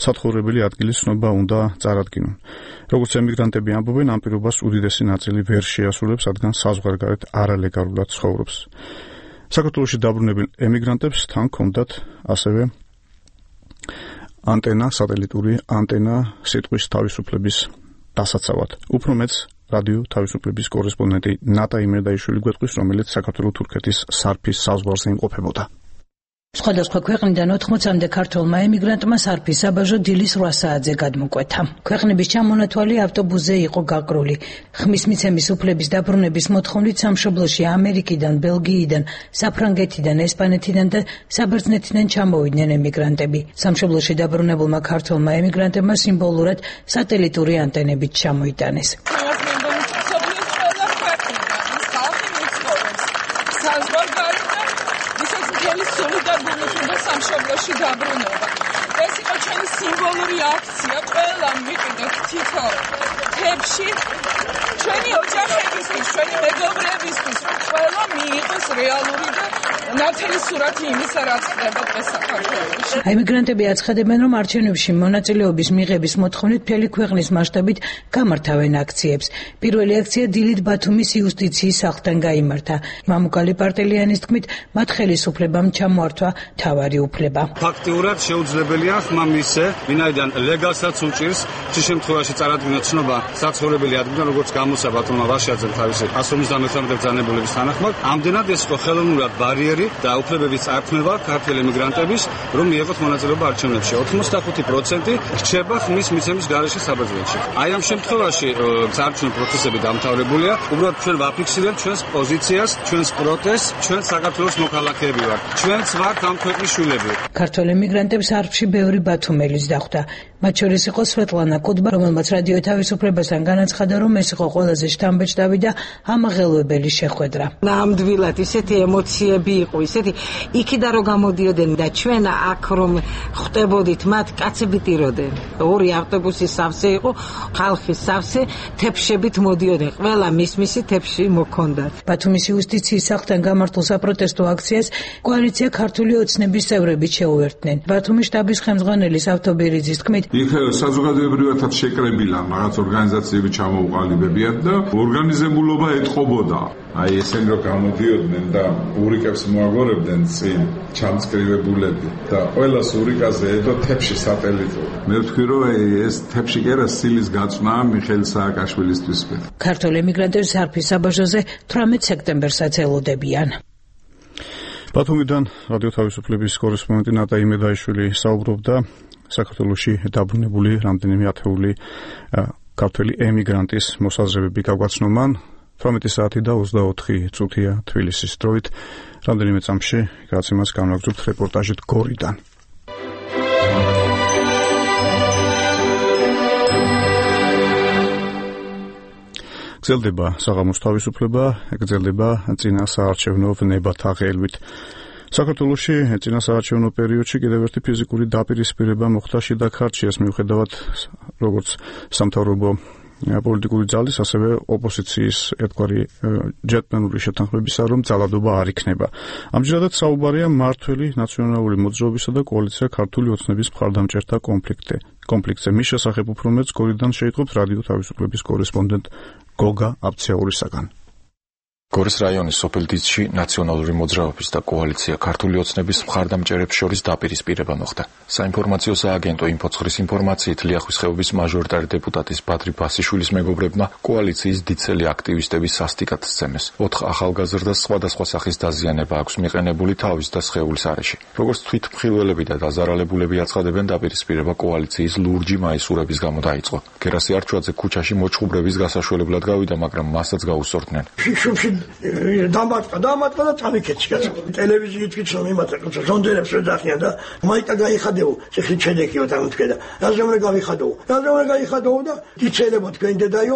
საცხოვრებელი ადგილის ცნობა უნდა წარადგინონ. როგორც ემიგრანტები ამბობენ, ამ პირობას უდიდესი ნაწილი ვერ შეასრულებს, რადგან საზღვარგარეთ არალეგალურად ცხოვრობს. საქართველოში დაბრუნებულ ემიგრანტებს თან ჰქონდათ ასევე ანტენა, სატელიტური ანტენა სიტყვის თავისუფლების დასაცავად. უფრო მეც რადიო თავისუფლების კორესპონდენტი ნატა იმერდაიშვილი გვეტყვის, რომელიც საქართველო-თურქეთის სარფის საზღვარზე იმყოფებოდა. სხვადასხვა ქვეყნიდან 80-მდე ქართველმა ემიგრანტმა სარფის საბაჟო დილის 8 საათზე გადმოკვეთა. ქვეყნების ჩამონათვალი ავტობუსზე იყო გაკრული. ხმის მიცემის უფლების დაბრუნების მოთხოვნით სამშობლოში ამერიკიდან, ბელგიიდან, საფრანგეთიდან, ესპანეთიდან და საბერძნეთიდან ჩამოვიდნენ ემიგრანტები. სამშობლოში დაბრუნებულმა ქართველმა ემიგრანტებმა სიმბოლურად სატელიტური ანტენებით ჩამოიტანეს. სამშობლოში დაბრუნება. ეს იყო ჩვენი სიმბოლური აქცია, ყველა მიყიდოთ თითო თებში, ჩვენი ოჯახებისთვის, ჩვენი მეგობრებისთვის, ყველა მიიღოს რეალური და ნათელი სურათი იმისა, რაც ხდება დღეს საქართველოში. ემიგრანტები აცხადებენ, რომ არჩევნებში მონაწილეობის მიღების მოთხოვნით მთელი ქვეყნის მასშტაბით გამართავენ აქციებს. პირველი აქცია დილით ბათუმის იუსტიციის სახლთან გაიმართა. მამუკალი პარტელიანის თქმით, მათ ხელისუფლებამ ჩამოართვა თავარი უფლება. ფაქტიურად შეუძლებელია ხმა მისცე, ვინაიდან ლეგალსაც უჭირს, ცის შემთხვევაში წარადგინოს ცნობა საცხოვრებელი ადგილიდან, როგორც გამოსა ბათუმმა ვაშიაძემ თავისი 153 ბრძანებულების თანახმად, ამდენად ეს იყო ხელოვნურად ბარიერი და უფლებების წარქმევა ქართველ ემიგრანტების, რომ მიიღოთ მონაწილეობა არჩევნებში. 85% რჩება ხმის მიცემის გარეშე საბერძნეთში. აი ამ შემთხვევაში საარჩევნო პროცესები დამთავრებულია. უბრალოდ ჩვენ ვაფიქსირებთ ჩვენს პოზიციას, ჩვენს პროტესტს, ჩვენ საქართველოს მოქალაქეები ვართ. ჩვენც ვართ ამ ქვეყნის შვილები. ქართველ ემიგრანტებს არფში ბევრი ბათუმელის დახვდა. მათ შორის იყო სვეტლანა კუდბა, რომელმაც რადიო თავისუფლებასთან განაცხადა, რომ ეს იყო ყველაზე შთამბეჭდავი და ამაღელვებელი შეხვედრა. ნამდვილად ისეთი ემოციები იყო, ისეთი იქიდან რომ გამოდიოდნენ და ჩვენ აქ რომ ხვდებოდით, მათ კაცები ტიროდნენ. ორი ავტობუსი სავსე იყო, ხალხი სავსე, თეფშებით მოდიოდნენ. ყველა მის თეფში მოქონდათ. ბათუმის იუსტიციის სახლთან გამართულ საპროტესტო აქციას კოალიცია ქართული ოცნების წევრები შეუერთდნენ. ბათუმის შტაბის ხელმძღვანელის ავტობერიძის თქმით, იქ საზოგადოებრივად შეკრებილა რაღაც ორგანიზაციები ჩამოუყალიბებიათ და ორგანიზებულობა ეთყობოდა. აი ესენი რომ გამოდიოდნენ და ურიკებს მოაგორებდნენ წინ ჩამწკრივებულები და ყველა ურიკაზე ედო თეფში სატელიტო. მე ვთქვი რომ ეს თეფში კერა სილის გაწვნა მიხეილ სააკაშვილისთვის. ქართულ ემიგრანტებს სარფის საბაჟოზე 18 სექტემბერსაც ელოდებიან. ბათუმიდან რადიო თავისუფლების კორესპონდენტი ნატა იმედაიშვილი საუბრობდა საქართველოში დაბრუნებული რამდენიმე ათეული ქართველი ემიგრანტის მოსაზრებები გაგვაცნობან. 18 საათი და 24 წუთია თბილისის დროით. რამდენიმე წამში გადაცემას განვაგრძობთ რეპორტაჟით გორიდან. გრძელდება საღამოს თავისუფლება, გრძელდება წინა საარჩევნო ვნებათა ღელვით. საქართველოში წინასაარჩევნო პერიოდში კიდევ ერთი ფიზიკური დაპირისპირება მოხდა შიდა ქართლში, მიუხედავად როგორც სამთავრობო პოლიტიკური ძალის, ასევე ოპოზიციის ერთგვარი ჯეტმენური შეთანხმებისა, რომ ძალადობა არ იქნება. ამჯერადაც საუბარია მმართველი ნაციონალური მოძრაობისა და კოალიცია ქართული ოცნების მხარდამჭერთა კონფლიქტზე. მის შესახებ უფრო მეტს გორიდან შეიტყობს რადიო თავისუფლების კორესპონდენტ გოგა აბცეურისაგან. გორის რაიონის სოფელ დიცში ნაციონალური მოძრაობის და კოალიცია ქართული ოცნების მხარდამჭერებს შორის დაპირისპირება მოხდა. საინფორმაციო სააგენტო ინფოცხრის ინფორმაციით ლიახვის ხეობის მაჟორიტარი დეპუტატის ბადრი ბასიშვილის მეგობრებმა კოალიციის დიცელი აქტივისტების სასტიკად სცემეს. 4 ახალგაზრდას სხვადასხვა სახის დაზიანება აქვს მიყენებული თავის და სხეულის არეში. როგორც თვითმხილველები და დაზარალებულები აცხადებენ, დაპირისპირება კოალიციის ლურჯი მაისურების გამო დაიწყო. გერასი არჩვაძე ქუჩაში მოჩხუბრების გასაშველებლად გავიდა, მაგრამ მასაც გაუსწორდნენ. დამატყა და წამიქეცი კაცო. ტელევიზიით ვიცნობ იმათ ზონდერებს ვეძახიან და მაიკა გაიხადეო, ციხლი ჩედექიო დამთქედა. რაზე უნდა გაიხადეო და იცელებო თქვენ დედაიო,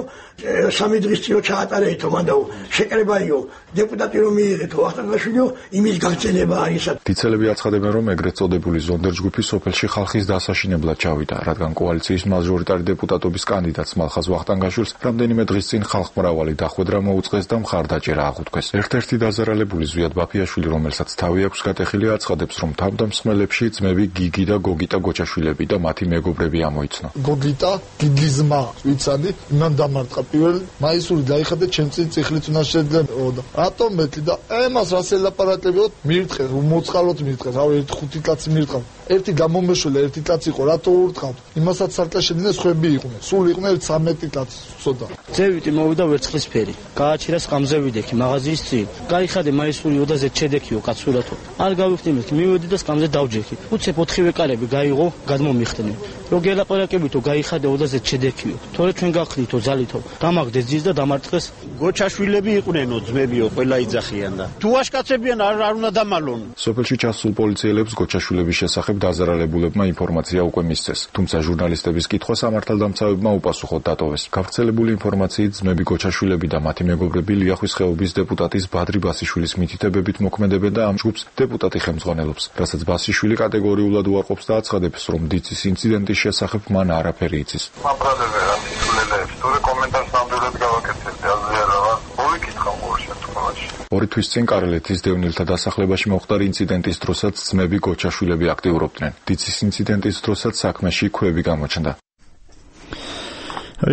3 დღის წინ ჩაატარეითო მანდაო, შეკრებაიო, დეპუტატი რომ მიიღეთო, ახტანგაშვილიო, იმის გაგრძელება არის. დიცელები აცხადებენ, რომ ეგრეთ წოდებული ზონდერ ჯგუფი სოფელში ხალხის დასაშინებლად ჩავიდა, რადგან კოალიციის მაჟორიტარი დეპუტატობის კანდიდატს მალხაზ ვახტანგაშვილს რამდენიმე დღის წინ ხალხმრავალი დახვედრა მოუწყეს და მხარდაჭერა აღუთქვეს. ერთ-ერთი დაზარალებული ზვიად ბაფიაშვილი, რომელსაც თავი აქვს გატეხილი, აცხადებს, რომ თავდამსხმელებში ძმები გიგი და გოგიტა გოჩაშვილები და მათი მეგობრები ამოიცნო. გოგიტა, გიგის ძმა, ვიცადი, იმან დამარტყა პირველ მაისური დაიხადა ჩემ წინ წიხლიც უნდა შეძლებოდა. რატომ მეტი და ემას რას ელაპარაკებიოთ, მირთხეს, მოწყალოთ მირთხეს, რავი 5 კაცი მირთხავ. ერთი გამომეშველა, ერთი კაცი იყო, რატო ურთხავთ? იმასაც სარკაშედნენ სხვები იყვნენ. სულ იყვნენ 13 კაცი, ცოტა. ძევიტი მოვიდა ვერცხლისფერი. გააჩერა სკამზე ვიდექი მაღაზიის წინ. გაიხადე მაისური ოდაზე ჩედექიო კაცურათო. არ გავიხდიმეთ, მივედი და სკამზე დავჯექი. უცებ 4 კარები გაიღო, გადმომიხდნენ. რო გელაპარაკებითო გაიხადე ოდაზე ჩედექიო. თორე ჩვენ გახდითო ძალითო. დამაგდეს ძის და დამარტყეს. გოჩაშვილები იყვნენო, ძმებიო, ყველა იძახიან და. თუ აშკაცებიან არ უნდა დამალონ. სოფელში ჩასულ პოლიციელებს გოჩაშვილების შესახებ დაზარალებულებმა ინფორმაცია უკვე მისცეს, თუმცა ჟურნალისტების კითხვა სამართალდამცავებმა უპასუხოდ დატოვეს. გავრცელებული ინფორმაციით ძმები გოჩაშვილები და მათი მეგობრები ლიახვის ხეობის დეპუტატის ბადრი ბასიშვილის მითითებებით მოქმედებენ და ამ ჯგუფს დეპუტატი ხელმძღვანელობს, რასაც ბასიშვილი კატეგორიულად უარყოფს და აცხადებს, რომ დიცის ინციდენტის შესახებ მან არაფერი იცის. მაბრალები რა თვითულელებს, თორე კომენტარს ნამდვილად გავაკეთებდი, აზრიანობა. მოვიკითხავ ყოველ შემთხვევაში. 2 თვის წინ კარელეთის დევნილთა დასახლებაში მოხდა ინციდენტის დროსაც ძმები გოჩაშვილები აქტიურობდნენ. დიცის ინციდენტის დროსაც საქმეში ქვევი გამოჩნდა.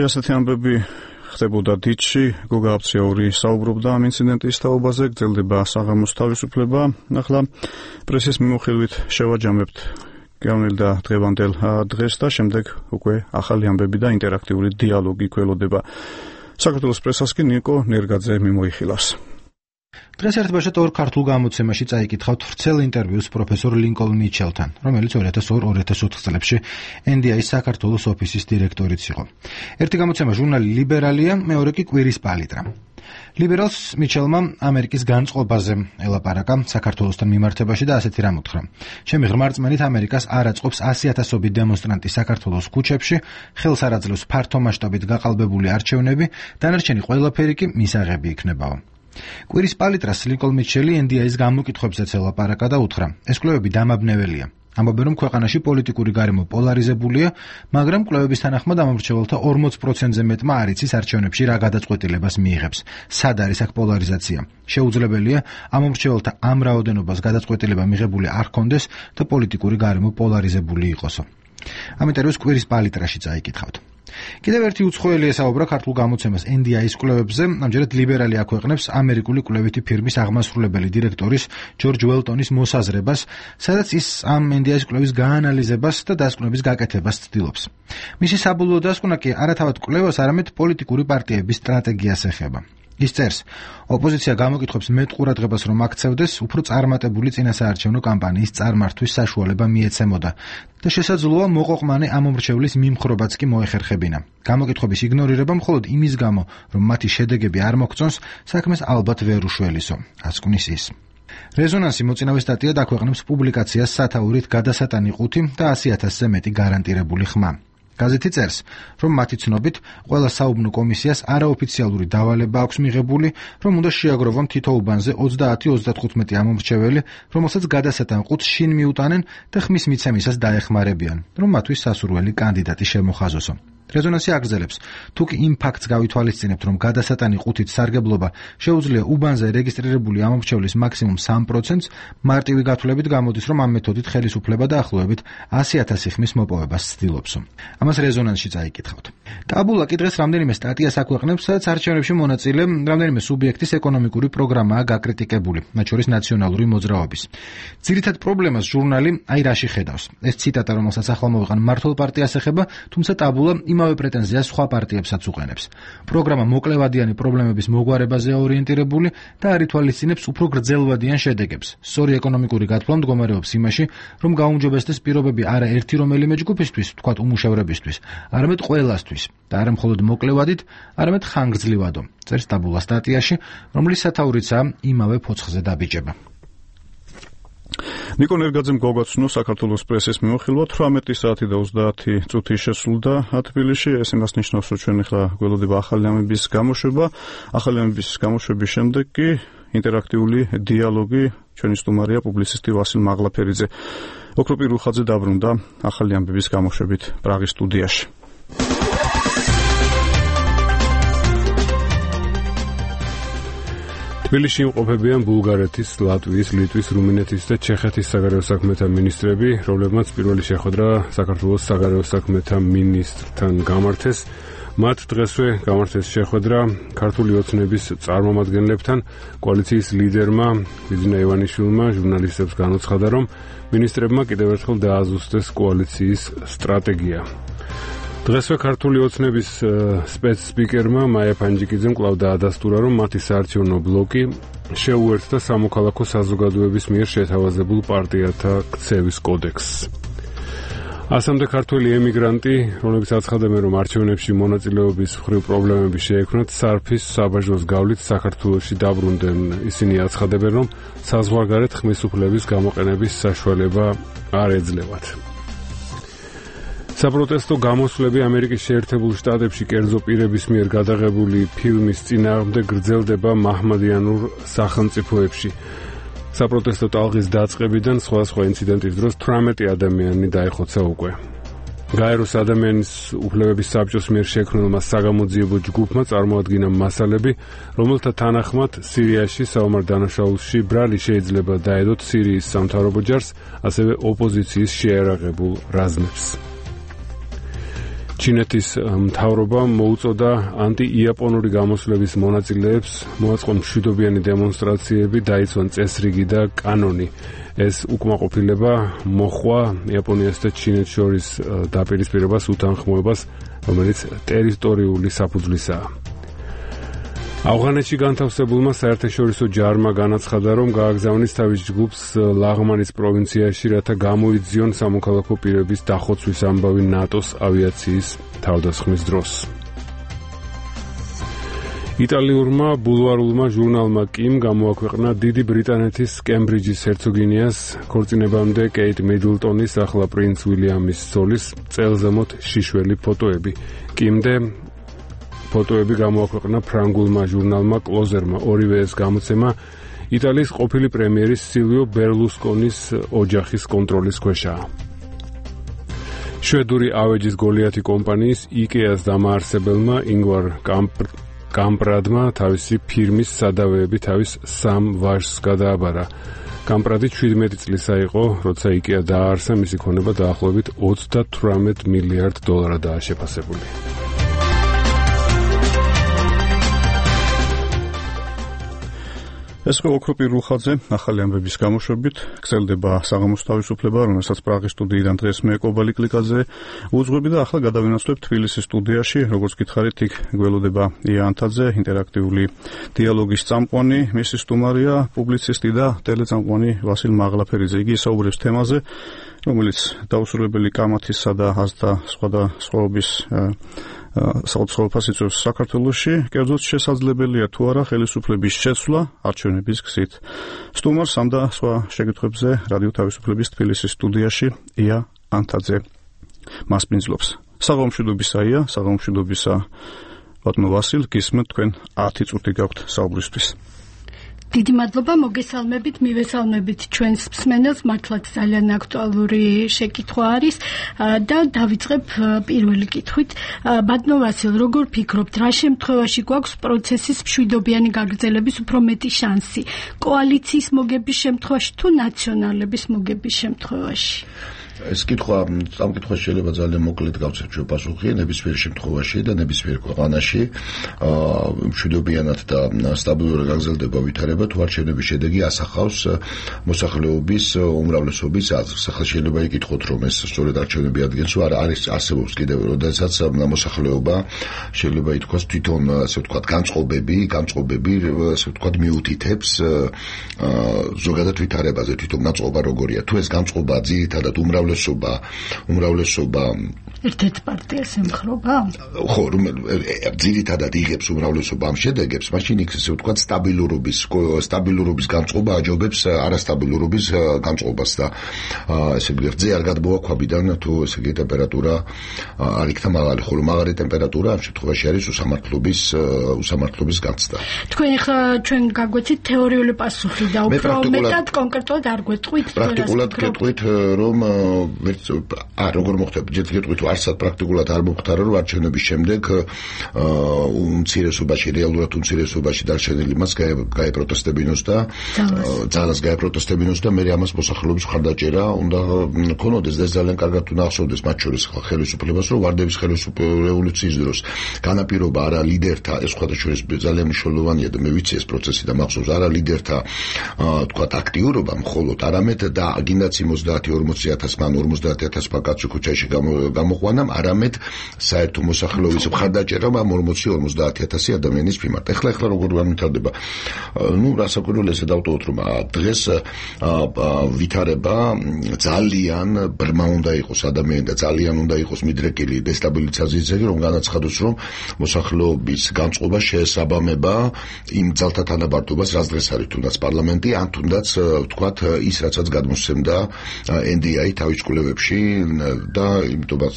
ასეთი ამბები ხდებოდა დიცში. გოგა აბცეური საუბრობდა ამ ინციდენტის თაობაზე, გრძელდება საღამოს თავისუფლება. ახლა პრესის მიმოხილვით შევაჯამებთ გავლილ და დღევანდელ დღეს და შემდეგ უკვე ახალი ამბები და ინტერაქტიული დიალოგი გველოდება. საქართველოს პრესას კი ნიკო ნერგაძე მიმოიხილავს. დღეს ერთბაშად 2 ქართულ გამოცემაში წაიკითხავთ ვრცელ ინტერვიუს პროფესორ ლინკოლნ მიჩელთან, რომელიც 2002-2004 წლებში NDI-ის საქართველოს ოფისის დირექტორიც იყო. ერთი გამოცემა ჟურნალი ლიბერალია, მეორე კი კვირის პალიტრა. ლიბერალს მიჩელმა ამერიკის განწყობაზე ელაპარაკა საქართველოსთან მიმართებაში და ასეთი რამ უთხრა. ჩემი ღრმა რწმენით ამერიკას არ აწყობს 100,000-ობით დემონსტრანტი საქართველოს ქუჩებში, ხელს არ აძლევს ფართო მასშტაბით გაყალბებული არჩევნები, დანარჩენი ყველაფერი კი მისაღები იქნებაო. კვირის პალიტრას ლინკოლნ მიჩელი NDI-ის გამოკითხვებზეც ელაპარაკა და უთხრა: ეს კვლევები დამაბნეველია. ამბობენ, რომ ქვეყანაში პოლიტიკური გარემო პოლარიზებულია, მაგრამ კვლევების თანახმად ამომრჩეველთა 40%-ზე მეტმა არ იცის არჩევნებში რა გადაწყვეტილებას მიიღებს. სად არის აქ პოლარიზაცია? შეუძლებელია ამომრჩეველთა ამ რაოდენობას გადაწყვეტილება მიღებული არ ჰქონდეს და პოლიტიკური გარემო პოლარიზებული იყოსო. ამ ინტერვიუს კვირის პალიტრაში წაიკითხავთ. კიდევ ერთი უცხოელი ესაუბრა ქართულ გამოცემას NDI-ის კვლევებზე, ამჯერად ლიბერალი აქვეყნებს ამერიკული კვლევითი ფირმის აღმასრულებელი დირექტორის ჯორჯ უელტონის მოსაზრებას, სადაც ის ამ NDI-ის კვლევის გაანალიზებას და დასკვნების გაკეთებას ცდილობს. მისი საბოლოო დასკვნა კი არათავად კვლევას, არამედ პოლიტიკური პარტიების სტრატეგიას ეხება. ის წერს, ოპოზიცია გამოკითხვებს მეტ ყურადღებას რომ აქცევდეს, უფრო წარმატებული წინასაარჩევნო კამპანიის წარმართვის საშუალება მიეცემოდა და შესაძლოა მოყოყმანე ამომრჩევლის მიმხრობაც კი მოეხერხებინა. გამოკითხვების იგნორირება მხოლოდ იმის გამო, რომ მათი შედეგები არ მოგწონს, საქმეს ალბათ ვერ უშველისო, ასკვნის ის. რეზონანსი მოწინავე სტატია დაქვეყნებს პუბლიკაციას სათაურით გადასატანი 5 და 100,000-ზე მეტი გარანტირებული ხმა. გაზეთი წერს, რომ მათი ცნობით ყველა საუბნო კომისიას არაოფიციალური დავალება აქვს მიღებული, რომ უნდა შეაგროვონ თითო უბანზე 30-35 ამომრჩეველი, რომელსაც გადასატან ყუთს შინ მიუტანენ და ხმის მიცემისას დაეხმარებიან, რომ მათთვის სასურველი კანდიდატი შემოხაზოსო. რეზონანსი აგრძელებს, თუ კი იმ ფაქტს გავითვალისწინებთ, რომ გადასატანი ყუთით სარგებლობა შეუძლია უბანზე რეგისტრირებული ამომრჩევლის მაქსიმუმ 3%-ს, მარტივი გათვლებით გამოდის, რომ ამ მეთოდით ხელისუფლება დაახლოებით 100,000 ხმის მოპოვებას ცდილობს. ამას რეზონანსში წაიკითხავთ. ტაბულა კი დღეს რამდენიმე სტატიას აქვეყნებს, სადაც არჩევნებში მონაწილე რამდენიმე სუბიექტის ეკონომიკური პროგრამაა გაკრიტიკებული, მათ შორის ნაციონალური მოძრაობის. ძირითად პრობლემას ჟურნალი აი რაში ხედავს. ეს ციტატა, რომელსაც ახლა მოვიყან, მართლ პარტიას ეხება, თუმცა ტაბულა იმავე პრეტენზიას სხვა პარტიებსაც უყენებს. პროგრამა მოკლევადიანი პრობლემების მოგვარებაზეა ორიენტირებული და არ ითვალისწინებს უფრო გრძელვადიან შედეგებს. სწორი ეკონომიკური გათვლა მდგომარეობს იმაში, რომ გაუმჯობესდეს პირობები არა ერთი რომელიმე ჯგუფისთვის, თქვათ უმუშევრებისთვის, არამედ ყველასთვის და არა მხოლოდ მოკლევადით, არამედ ხანგრძლივადო. წერს ტაბულა სტატიაში, რომლის სათაურიცაა იმავე ფოცხზე დაბიჯება. ნიკო ნერგაძემ გოგაცნო საქართველოს პრესის მიმოხილვა 18 საათი და 30 წუთი შესრულდა თბილისში. ეს იმას ნიშნავს, რომ ჩვენ ახლა გველოდება ახალი ამების გამოშვება. ახალი ამების გამოშვების შემდეგ კი ინტერაქტიული დიალოგი ჩვენი სტუმარია პუბლიცისტი ვასილ მაღლაფერიძე. ოქროპირ რუხაძე დაბრუნდა ახალი ამბების გამოშვებით პრაღის სტუდიაში. თბილისში იმყოფებიან ბულგარეთის, ლატვიის, ლიტვის, რუმინეთის და ჩეხეთის საგარეო საქმეთა მინისტრები, რომლებმაც პირველი შეხვედრა საქართველოს საგარეო საქმეთა მინისტრთან გამართეს. მათ დღესვე გამართეს შეხვედრა ქართული ოცნების წარმომადგენლებთან. კოალიციის ლიდერმა ბიძინა ივანიშვილმა ჟურნალისტებს განუცხადა, რომ მინისტრებმა კიდევ ერთხელ დააზუსტეს კოალიციის სტრატეგია. დღესვე ქართული ოცნების სპეცსპიკერმა მაია ფანჯიკიძემ კვლავ დაადასტურა, რომ მათი საარჩევნო ბლოკი შეუერთდა სამოქალაქო საზოგადოების მიერ შეთავაზებულ პარტიათა ქცევის კოდექსს. ასამდე ქართველი ემიგრანტი, რომლებიც აცხადებენ, რომ არჩევნებში მონაწილეობის მხრივ პრობლემები შეექმნათ, სარფის საბაჟოს გავლით საქართველოში დაბრუნდნენ. ისინი აცხადებენ, რომ საზღვარგარეთ ხმისუფლების გამოყენების საშუალება არ ეძლევათ. საპროტესტო გამოსვლები ამერიკის შეერთებულ შტატებში კერძო პირების მიერ გადაღებული ფილმის წინააღმდეგ გრძელდება მაჰმადიანურ სახელმწიფოებში. საპროტესტო ტალღის დაწყებიდან სხვადასხვა ინციდენტის დროს 18 ადამიანი დაიხოცა უკვე. გაეროს ადამიანის უფლებების საბჭოს მიერ შექმნილმა საგამოძიებო ჯგუფმა წარმოადგინა მასალები, რომელთა თანახმად სირიაში საომარ დანაშაულში ბრალი შეიძლება დაედოთ სირიის სამთავრობო ჯარს, ასევე ოპოზიციის შეერაღებულ რაზმებს. ჩინეთის მთავრობა მოუწოდა ანტიიაპონური გამოსვლების მონაწილეებს მოაწყონ მშვიდობიანი დემონსტრაციები, დაიცვან წესრიგი და კანონი. ეს უკმაყოფილება მოჰყვა იაპონიას და ჩინეთს შორის დაპირისპირებას უთანხმოებას, რომელიც ტერიტორიული საფუძვლისაა. ავღანეთში განთავსებულმა საერთაშორისო ჯარმა განაცხადა, რომ გააგზავნის თავის ჯგუფს ლაღმანის პროვინციაში, რათა გამოიძიონ სამოქალაქო პირების დახოცვის ამბავი ნატოს ავიაციის თავდასხმის დროს. იტალიურმა ბულვარულმა ჟურნალმა კიმ გამოაქვეყნა დიდი ბრიტანეთის კემბრიჯის ჰერცოგინიას ქორწინებამდე კეიტ მიდლტონის, ახლა პრინც უილიამის ცოლის წელზემოთ შიშველი ფოტოები. კიმდე ფოტოები გამოაქვეყნა ფრანგულმა ჟურნალმა კლოზერმა. ორივე ეს გამოცემა იტალიის ყოფილი პრემიერის სილვიო ბერლუსკონის ოჯახის კონტროლის ქვეშაა. შვედური ავეჯის გოლიათი კომპანიის იკეას დამაარსებელმა ინგვარ კამპრადმა თავისი ფირმის სადავეები თავის 3 ვაჟს გადააბარა. კამპრადი 17 წლისა იყო, როცა იკეა დააარსა, მისი ქონება დაახლოებით $38 მილიარდ შეფასებული. ეს იყო ოქროპირ რუხაძე ახალი ამბების გამოშვებით. გრძელდება საღამოს თავისუფლება, რომელსაც პრაღის სტუდიიდან დღეს მე კობალი კლიკაძე უძღვები და ახლა გადავინაცვლებთ თბილისის სტუდიაში. როგორც გითხარით, იქ გველოდება ია ანთაძე, ინტერაქტიული დიალოგის წამყვანი, მისი სტუმარია პუბლიცისტი და ტელეწამყვანი ვასილ მაღლაფერიძე. იგი საუბრებს თემაზე, რომელიც დაუსრულებელი კამათისა და აზრთა სხვადასხვაობის საოცრებას იწვევს საქართველოში. კერძოდ შესაძლებელია თუ არა ხელისუფლების შეცვლა არჩევნების გზით. სტუმარს ამ და სხვა შეკითხვებზე რადიო თავისუფლების თბილისის სტუდიაში ია ანთაძე მასპინძლობს. საღამომშვიდობისაა, საღამომშვიდობისა ბატონო ვასილ, გისმენთ თქვენ 10 წუთი გაქვთ საუბრისთვის. დიდი მადლობა, მოგესალმებით, მივესალმებით ჩვენს მსმენელს, მართლაც ძალიან აქტუალური შეკითხვა არის და დავიწყებ პირველი კითხვით. ბატონო ვასილ, როგორ ფიქრობთ, რა შემთხვევაში გვაქვს პროცესის მშვიდობიანი გაგრძელების უფრო მეტი შანსი? კოალიციის მოგების შემთხვევაში თუ ნაციონალების მოგების შემთხვევაში? ეს კითხვა, ამ კითხვას შეიძლება ძალიან მოკლედ გავცეთო პასუხი, ნებისმიერ შემთხვევაში და ნებისმიერ ქვეყანაში მშვიდობიანად და სტაბილურად გაგრძელდება ვითარება, თუ არჩევნების შედეგი ასახავს მოსახლეობის უმრავლესობის აზრს. ახლა შეიძლება იკითხოთ, რომ ეს სწორედ არჩევნები ადგენს, არა არის არსებობს კიდევ, როდესაც მოსახლეობა შეიძლება ითქვას თვითონ, ასე ვთქვათ, განწყობები, ასე ვთქვათ, მიუთითებს ზოგადად ვითარებაზე, თვითონ განწყობა როგორია. თუ ეს განწყობა ძირითადად უმრავლესობა ერთ-ერთ პარტიას ემხრობა? ხო, ძირითადად იღებს უმრავლესობა ამ შედეგებს, მაშინ იქ ესე ვთქვათ სტაბილურობის განწყობა აჯობებს არასტაბილურობის განწყობას და ესე გრძე არ გადმოაქვაბიდან თუ ესე იგი ტემპერატურა არ იქნა მაღალი, ხოლო მაღალი ტემპერატურა ამ შემთხვევაში არის უსამართლობის განცდა. ჩვენ გაგვეცით თეორიული პასუხი და უფრო მეტად კონკრეტულად არ გვეტყვით? პრაქტიკულად გეტყვით, რომ როგორ მოხდება, ჯერ გეტყვით, არცად პრაქტიკულად არ მომხდარა, რომ არჩევნების შემდეგ რეალურად უმცირესობაში დარჩენილი მას გაეპროტესტებინოს და ძალას გაეპროტესტებინოს და მე ამას მოსახლეობის მხარდაჭერა უნდა ქონოდეს და ეს ძალიან კარგად უნდა ახსოვდეს მათ შორის ხელისუფლებას, რომ ვარდების რევოლუციის დროს განაპირობა არა ლიდერთა, ეს სხვადასხვა ძალიან მნიშვნელოვანია და მე ვიცი ეს პროცესი და მახსოვს არა ლიდერთა თქვათ აქტიურობა მხოლოდ, არამედ და გინდაც 30-40,000 მან 50,000 კაცი ქუჩაში გამოყვანამ, არამედ საერთო მოსახლეობის მხარდაჭერამ 40-50,000 ადამიანის მიმართ. ეხლა როგორ განვითარდება? რასაკვირველია დავტოვოთ, რომ დღეს ვითარება ძალიან ბრმა უნდა იყოს ადამიანი და ძალიან უნდა იყოს მიდრეკილი დესტაბილიზაციის ძეგლი, რომ განაცხადოს, რომ მოსახლეობის განწყობა შეესაბამება იმ ძალთა თანაბართობას, რაც დღეს არის თუნდაც პარლამენტი, ან თუნდაც ვთქვათ ის, რასაც გადმოსცემდა NDI თავის კვლევებში და იმიტომაც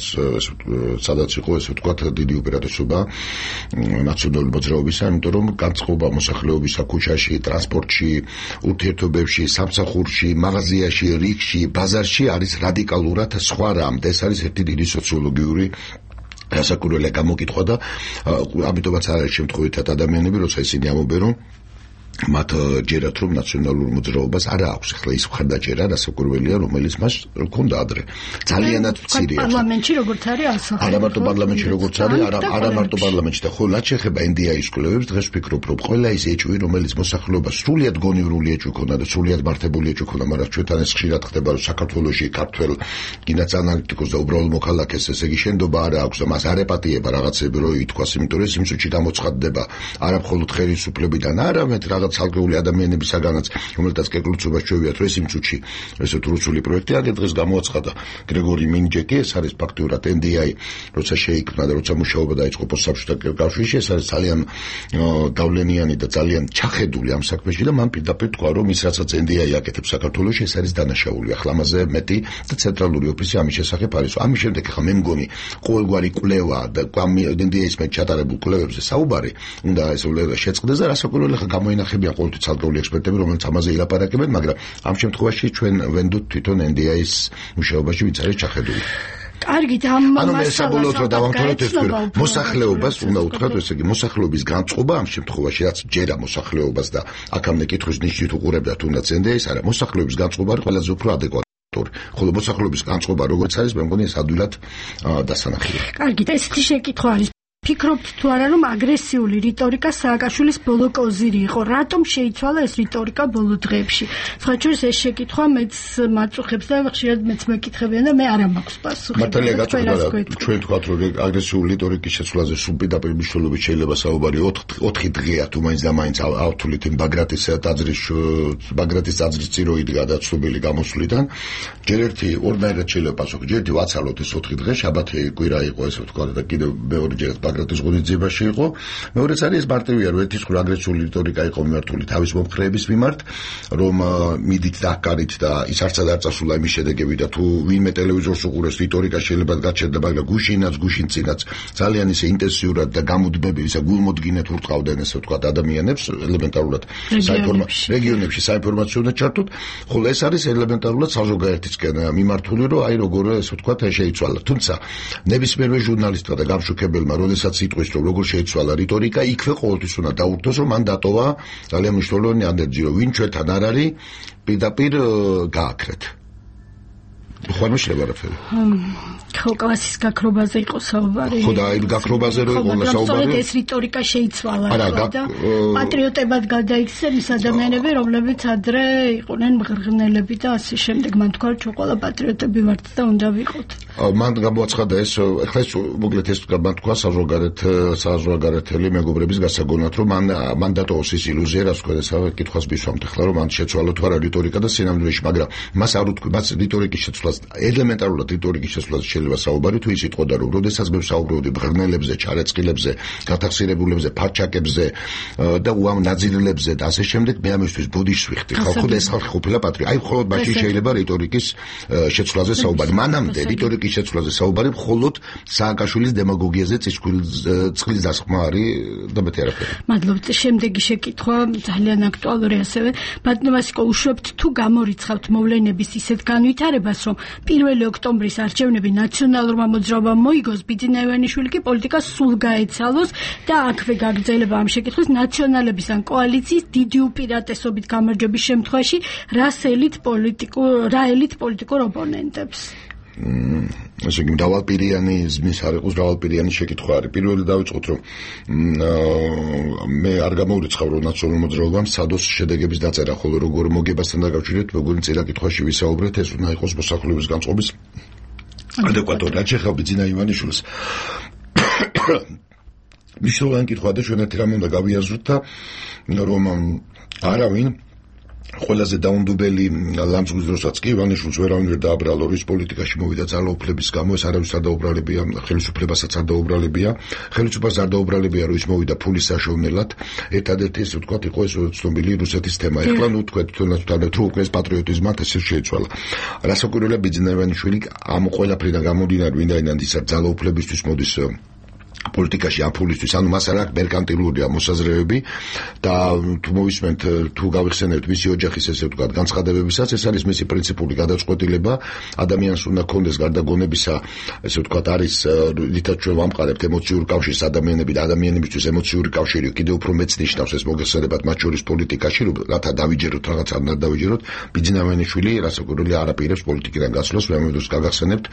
სადაც იყო ესე ვთქვათ დიდი უპირატესობა ნაციონალური მოძრაობისა, იმიტომ რომ განწყობა მოსახლეობისა ქუჩაში, ტრანსპორტში, ურთიერთობებში, სამსახურში, მაღაზიაში, რიგში, ბაზარში არის რადიკალურად სხვა რამ და ეს არის ერთი დიდი სოციოლოგიური რასაკვირველია გამოკითხვა და ამიტომაც არ არის შემთხვევითად ადამიანები, როცა ისინი ამბობენ, რომ მათ ჯერათ რომ ნაციონალურ მოძრაობას არ აქვს ახლა ის მხარდაჭერა რასაკვირველია რომელიც მას ჰქონდა ადრე ძალიანად მცირეა პარლამენტში როგორც არის ასახავს არა მარტო პარლამენტში როგორც არის არა მარტო პარლამენტში და ხო რაც შეეხება NDI-ის კვლევებს დღეს ვფიქრობ რომ ყველა ის ეჭვი რომელიც მოსახლეობას სრულიად გონივრული ეჭვი ქონდა და სრულიად მართებული ეჭვი ქონდა მაგრამ ჩვენთან ეს ხშირად ხდება რომ საქართველოში ქართველ კიდაც ანალიტიკოს და უბრალოდ მოქალაქეს ესე იგი შენდობა არ აქვს და მას არ ეპატიება რაღაცები რომ ითქვას იმიტომ რომ იმ სუჩი გამოცხადდება არა მხოლოდ ხელისუფლებიდან არამედ ცალკეული ადამიანებისაგანაც, რომელთაც კეკლუცობას ჩვევიათ, რომ ეს იმ წუთში ესეთ რუსული პროექტი აგერ დღეს გამოაცხადა გრეგორი მინჯეკი, ეს არის ფაქტიურად NDI, როცა შეიქმნა და როცა მუშაობა დაიწყო პოსტსაბჭოთა კავშირში, ეს არის ძალიან გავლენიანი და ძალიან ჩახედული ამ საქმეში და მან პირდაპირ თქვა, რომ ის რასაც NDI აკეთებს საქართველოში, ეს არის დანაშაული. ახლა ამაზე მეტი და ცენტრალური ოფისი ამის შესახებ არის. ამის შემდეგ ახლა მე მგონი ყოველგვარი კვლევა და NDI-ის მე ჩატარებულ კვლევებზე საუბარი უნდა ესე შეწყდეს და რასაკვირველია ახლა გამოინახებიან ყოველთვის ცალკეული ექსპერტები, რომელიც ამაზე ილაპარაკებენ, მაგრამ ამ შემთხვევაში ჩვენ ვენდოთ თვითონ NDI-ის მუშაობაში ვინც არის ჩახედული. კარგით, ამ მასალას დავამთავროთ ეს მოსახლეობას უნდა უთხრათ, ესე იგი მოსახლეობის განწყობა ამ შემთხვევაში რაც ჯერა მოსახლეობას და აქამდე კითხვის ნიშნით უყურებდა თუნდაც NDI-ს, არა მოსახლეობის განწყობა არის ყველაზე უფრო ადეკვატური. ხოლო მოსახლეობის განწყობა როგორც არის, მე მგონი ეს ადვილად დასანახია. კარგით, ესეთი შეკითხვა არის. ფიქრობთ თუ არა რომ აგრესიული რიტორიკა სააკაშვილის ბოლო კოზირი იყო? რატომ შეიცვალა ეს რიტორიკა ბოლო დღეებში? სხვაჩვენს ეს შეკითხვა მეც მაწუხებს და ხშირად მეც მეკითხებიან და მე არა მაქვს პასუხი. მართალია გაწუხებულა ჩვენ თქვათ რომ აგრესიული რიტორიკის შეცვლაზე სუპირდაპირ მნიშვნელობით შეიძლება საუბარი 4 დღეა თუ მაინც და მაინც ავთვლით იმ ბაგრატის ტაძრის წირო იდგა და ცნობილი გამოსვლიდან ჯერ ერთი ორნაირად შეიძლება პასუხი ჯერ ერთი ვაცალოთ ეს 4 დღე შაბათი კვირა იყო ესე ვთქვათ და კიდევ მეორჯერ ბაგრატის ღონისძიებაში იყო. მეორეც არის ეს მარტივია, რომ ერთის მხრივ აგრესიული რიტორიკა იყო მიმართული თავის მომხრეების მიმართ, რომ მიდით და კარით და ის არცად არ წასულა იმის შედეგები და თუ ვინმე ტელევიზორს უყურებს რიტორიკა შეიძლება გაჩერდა, მაგრამ გუშინ წინაც ძალიან ისე ინტენსიურად და გამუდმებით ისა გულმოდგინედ ურტყავდნენ ესე ვთქვათ ადამიანებს ელემენტარულად რეგიონებში საინფორმაციო ჩართოთ, ხოლო ეს არის ელემენტარულად საზოგადოებისკენ მიმართული, რომ აი როგორ ესე ვთქვათ შეიცვალა. თუმცა ნებისმიერმა ჟურნალისტმა და გამშუქებელმა, როდესაც იტყვის, რომ როგორ შეიცვალა რიტორიკა, იქვე ყოველთვის უნდა დაურთოს, რომ მან დატოვა ძალიან მნიშვნელოვანი ანდერძი, რომ ვინ ჩვენთან არ არის, პირდაპირ გააქრეთ. ხომ შეიძლება არაფერი. ხო, კლასის გაქრობაზე იყო საუბარი. ხო და აი გაქრობაზე რო იყო საუბარი. ეს რიტორიკა შეიცვალა და პატრიოტებად გადაიქცნენ ის ადამიანები, რომლებიც ადრე იყვნენ მღრღნელები და ასე შემდეგ. მან თქვა, რომ ყველა პატრიოტები ვართ და უნდა ვიყოთ. მან გამოაცხადა ეს, ეხლა ეს მოკლედ ეს მან თქვა საზღვარგარეთელი მეგობრების გასაგონად, რომ მან დატოვოს ის ილუზია, რაც თქვენ ეს კითხვას მისვამთ ახლა, რომ მან შეცვალა თუ არა რიტორიკა და სინამდვილეში, მაგრამ მას არ უთქვი, მას რიტორიკის შეცვლას ელემენტარულად რიტორიკის შეცვლას შეიძლება საუბარი თუ ის იტყოდა, რომ როდესაც მე ვსაუბრობდი მღრღნელებზე, ჩარეწყილებზე, გათახსირებულებზე, ფარჩაკებზე და ნაძილებზე და ასე შემდეგ, მე ამისთვის ბოდიშს ვიხდი. ხალხო და ეს ხალხი ყოფილა პატრიოტი. აი მხოლოდ მაშინ შეიძლება რიტორიკის შეცვლაზე საუბარი. მანამდე რიტორიკის შეცვლაზე საუბარი მხოლოდ სააკაშვილის დემაგოგიაზე წყლის დასხმა არის და მეტი არაფერი. მადლობთ. შემდეგი შეკითხვა ძალიან აქტუალური ასევე. ბატონო ვასიკო, უშვებთ თუ გამორიცხავთ მოვლენების ისეთ განვითარებას, რომ 1 ოქტომბრის არჩევნები ნაციონალურმა მოძრაობამ მოიგოს, ბიძინა ივანიშვილი კი პოლიტიკას სულ გაეცალოს და აქვე გაგრძელება ამ შეკითხვის ნაციონალების ან კოალიციის დიდი უპირატესობით გამარჯვების შემთხვევაში რა ელით პოლიტიკურ ოპონენტებს? ესე იგი დავალპირიანი ზმის არ იყოს დავალპირიანი შეკითხვა არის. პირველი დავიწყოთ, რომ მე არ გამოვრიცხავ, რომ ნაციონალურ მოძრაობამ სადოს შედეგების დაწერა, ხოლო როგორ მოგებასთან დაკავშირებით, როგორ წინა კითხვაში ვისაუბრეთ, ეს უნდა იყოს მოსახლეობის განწყობის ადეკვატური. რაც შეხება ბიძინა ივანიშვილს მნიშვნელოვანი კითხვა და ჩვენ ერთი რამე უნდა გავიაზროთ და რომ არავინ ყველაზე დაუნდობელი ლამძღვის დროსაც კი ივანიშვილს ვერავინ ვერ დააბრალა, ის პოლიტიკაში მოვიდა ძალაუფლების გამო, ეს არავის არ დაუბრალებია, ხელისუფლებასაც არ დაუბრალებია, ხელისუფლებას არ დაუბრალებია, რომ ის მოვიდა ფულის საშოვნელად. ერთადერთი ესე ვთქვათ იყო ეს ცნობილი რუსეთის თემა. ეხლა ნუ თქვენ თუ უკვე ეს პატრიოტიზმად ესე შეიცვალა. რასაკვირველია, ბიძინა ივანიშვილი ამ ყველაფრიდან გამომდინარე, ვინაიდან ის ძალაუფლებისთვის მოდის პოლიტიკაში აფულისთვის, ანუ მას არ აქვს მერკანტილურია მოსაზრებები და თუ მოვისმენთ, თუ გავიხსენებთ მისი ოჯახის ესე ვთქვათ განცხადებებისაც, ეს არის მისი პრინციპული გადაწყვეტილება, ადამიანს უნდა ქონდეს გარდა გონებისა, ესე ვთქვათ, არის რითაც ჩვენ ვამყარებთ ემოციურ კავშირს ადამიანებისთვის ემოციური კავშირი კიდევ უფრო მეც ნიშნავს ეს მოგეხსენებათ მათ შორის პოლიტიკაში, რათა დავიჯეროთ რაღაც არ უნდა დავიჯეროთ. ბიძინა ივანიშვილი რასაკვირველია არ აპირებს პოლიტიკიდან გასვლას, მე ამბობს გაგახსენებთ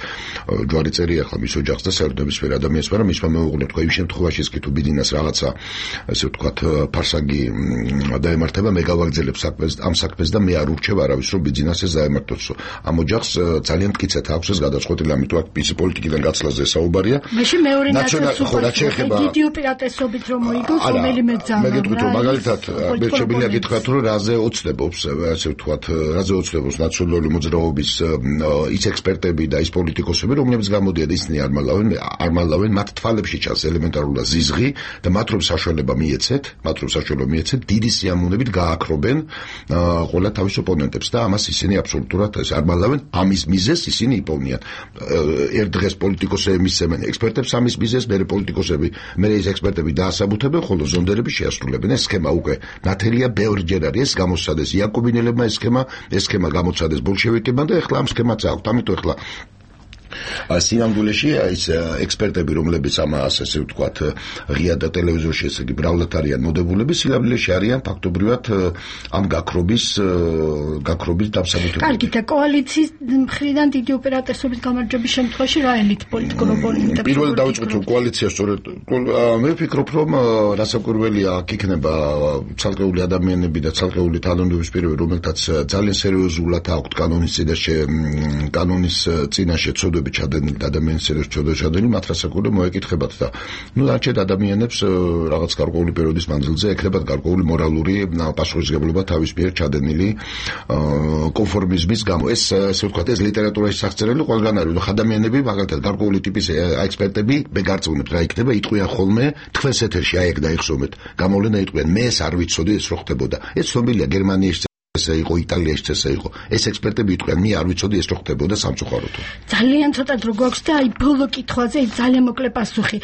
ჯვარი წერია ახლა მის ოჯახს და საერთოდნებისფერ ადამიანს, მაგრამ მისმა მეუღლე თქვა იმ შემთხვევაში კი თუ ბიძინას რაღაცა ესე ვთქვათ ფარსაგი დაემართება, მე გავაგრძელებ ამ საქმეს და მე არ ურჩევ არავის რომ ბიძინას ეს დაემართოს. ამ ოჯახს ძალიან მტკიცედ აქვს ეს გადაწყვეტილი, ამიტომ აქ ის პოლიტიკიდან გაცვლაზე საუბარია. მაშინ მეორე ნაციონალურ დიდი უპირატესობით რომ მოიგოს, რომელიმე ძალა. მე გეტყვით რომ მაგალითად მე შემიძლია გითხრათ რომ რაზე ოცნებობს ასე ვთქვათ, რაზე ოცნებობს ნაციონალური მოძრაობის ის ექსპერტები და ის პოლიტიკოსები, რომლებიც გამოდიან ისინი არ მალავენ, მათ თვალებში ჩანს ელემენტარულად ზიზღი და მათ რომ საშუალება მიეცეთ, დიდი სიამოვნებით გააქრობენ ყველა თავის ოპონენტებს და ამას ისინი აბსოლუტურად არ მალავენ, ამის მიზეზს ისინი იპოვნიან. ერთ დღეს პოლიტიკოსები მისცემენ ექსპერტებს ამის მიზეზს, მერე პოლიტიკოსები, მერე ეს ექსპერტები დაასაბუთებენ, ხოლო ზონდერები შეასრულებენ. ეს სქემა უკვე ნათელია, ბევრჯერ არის ეს გამოსცადეს იაკობინელებმა, ეს სქემა გამოცადეს ბოლშევიკებმა და ეხლა ამ სქემაც აქვთ. ამიტომ ეხლა სინამდვილეში ის ექსპერტები, რომლებიც ამას ასე ვთქვათ ღია და ტელევიზორში ესე იგი ბრალად არიან მოდებულები, სინამდვილეში არიან ფაქტობრივად ამ გაქრობის დამსაბუთებელი. კარგი, და კოალიციის მხრიდან დიდი უპირატესობით გამარჯვების შემთხვევაში რა ელით პოლიტიკურ ოპონენტებს? პირველად დავიწყოთ რომ კოალიცია სწორედ მე ვფიქრობ რომ რასაკვირველია აქ იქნება ცალკეული ადამიანები და ცალკეული თანამდებობის პირები, რომელთაც ძალიან სერიოზულად აქვთ კანონის წინაშე ცოდვები ჩადებული ჩადენილი და ადამიანის წერილს ჩადენილი, მათ რასაკურე მოეკითხებათ და არჩევთ ადამიანებს რაღაც გარკვეული პერიოდის მანძილზე ექნებათ გარკვეული მორალური პასუხისმგებლობა თავის მიერ ჩადენილი კონფორმიზმის გამო. ეს ასე ვთქვათ, ეს ლიტერატურაში სახწერილი ყველგან არის. ადამიანები მაგალითად გარკვეული ტიპის ექსპერტები ბეგარწმუნებთ რა იქნება, იტყვიან ხოლმე თქვენს ეთერში აი ეგ დაიხსოვეთ. გამოვლენა იტყვიან, მე ეს არ ვიცოდი ეს რო ხდებოდა. ეს ცნობილია გერმანიაში ესე იყო, იტალიაში ესე იყო. ეს ექსპერტები იტყვიან, მე არ ვიცოდი ეს რო ხდებოდა სამწუხაროდ. ძალიან ცოტა დრო გვაქვს და აი ბოლო კითხვაზე ძალიან მოკლე პასუხი.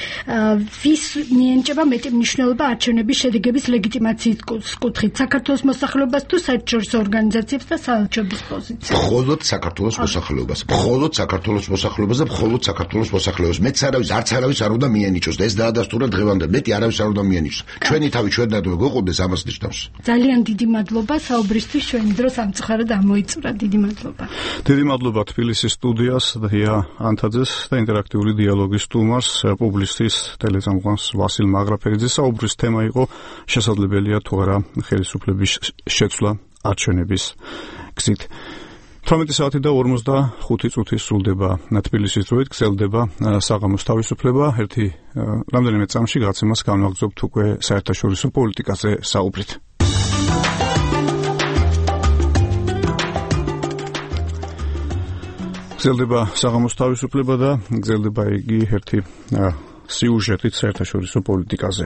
ვის მიენიჭება მეტი მნიშვნელობა არჩევნების შედეგების ლეგიტიმაციის კუთხით? საქართველოს მოსახლეობას თუ საერთაშორისო ორგანიზაციებს და საელჩოების პოზიციას? მხოლოდ საქართველოს მოსახლეობას. მხოლოდ საქართველოს მოსახლეობას და მხოლოდ საქართველოს მოსახლეობას. მეც არც არავის არ უნდა მიენიჭოს და ეს დაადასტურა დღევანდელ. მეტი არავის არ უნდა მიენიჭოს. ჩვენი თავი ჩვენად გვეყოდეს ამას ნიშნავს. ძალიან დიდი მადლობა საუბრისთვის. ჩვენ დროს ამწუხარად ამოიწურა. დიდი მადლობა. დიდი მადლობა თბილისის სტუდიას დია ანთაძეს და ინტერაქტიული დიალოგის სტუმარს, პუბლიცისტის ტელეწამყვანს ვასილ მაგრაფერიძეს. საუბრის თემა იყო შესაძლებელია თუ არა ხელისუფლების შეცვლა არჩევნების გზით. 18 საათი და 45 წუთი სრულდება თბილისის დროით, გრძელდება საღამოს თავისუფლება. რამდენიმე წამში გაცემას განვაგრძობთ უკვე საერთაშორისო პოლიტიკაზე საუბრით. გრძელდება საღამოს თავისუფლება და გრძელდება იგი ერთი სიუჟეტით საერთაშორისო პოლიტიკაზე.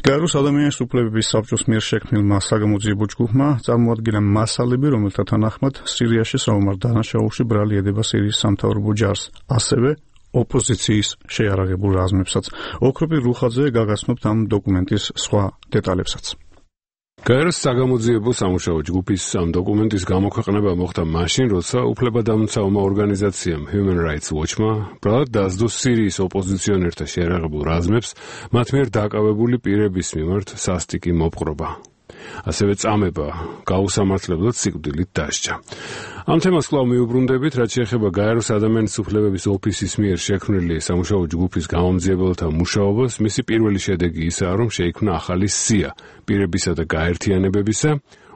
გაეროს ადამიანის უფლებების საბჭოს მიერ შექმნილმა საგამოძიებო ჯგუფმა წარმოადგინა მასალები, რომელთა თანახმად სირიაში საომარ დანაშაულში ბრალი ედება სირიის სამთავრობო ჯარს, ასევე ოპოზიციის შეიარაღებულ რაზმებსაც. ოქროპი რუხაძე გაგაცნობთ ამ დოკუმენტის სხვა დეტალებსაც. გაეროს საგამოძიებო სამუშაო ჯგუფის ამ დოკუმენტის გამოქვეყნება მოხდა მაშინ, როცა უფლებადამცავმა ორგანიზაციამ Human Rights Watch-მა ბრალად დასდო სირიის ოპოზიციონერთა შეიარაღებულ რაზმებს მათ მიერ დაკავებული პირების მიმართ სასტიკი მოპყრობა. ასევე წამება გაუსამართლებლად სიკვდილით დასჯა. ამ თემას კვლავ მიუბრუნდებით, რაც შეეხება გაეროს ადამიანის უფლებების ოფისის მიერ შექმნილი სამუშაო ჯგუფის გამომძიებელთა მუშაობას, მისი პირველი შედეგი ისაა, რომ შეიქმნა ახალი სია პირებისა და გაერთიანებებისა,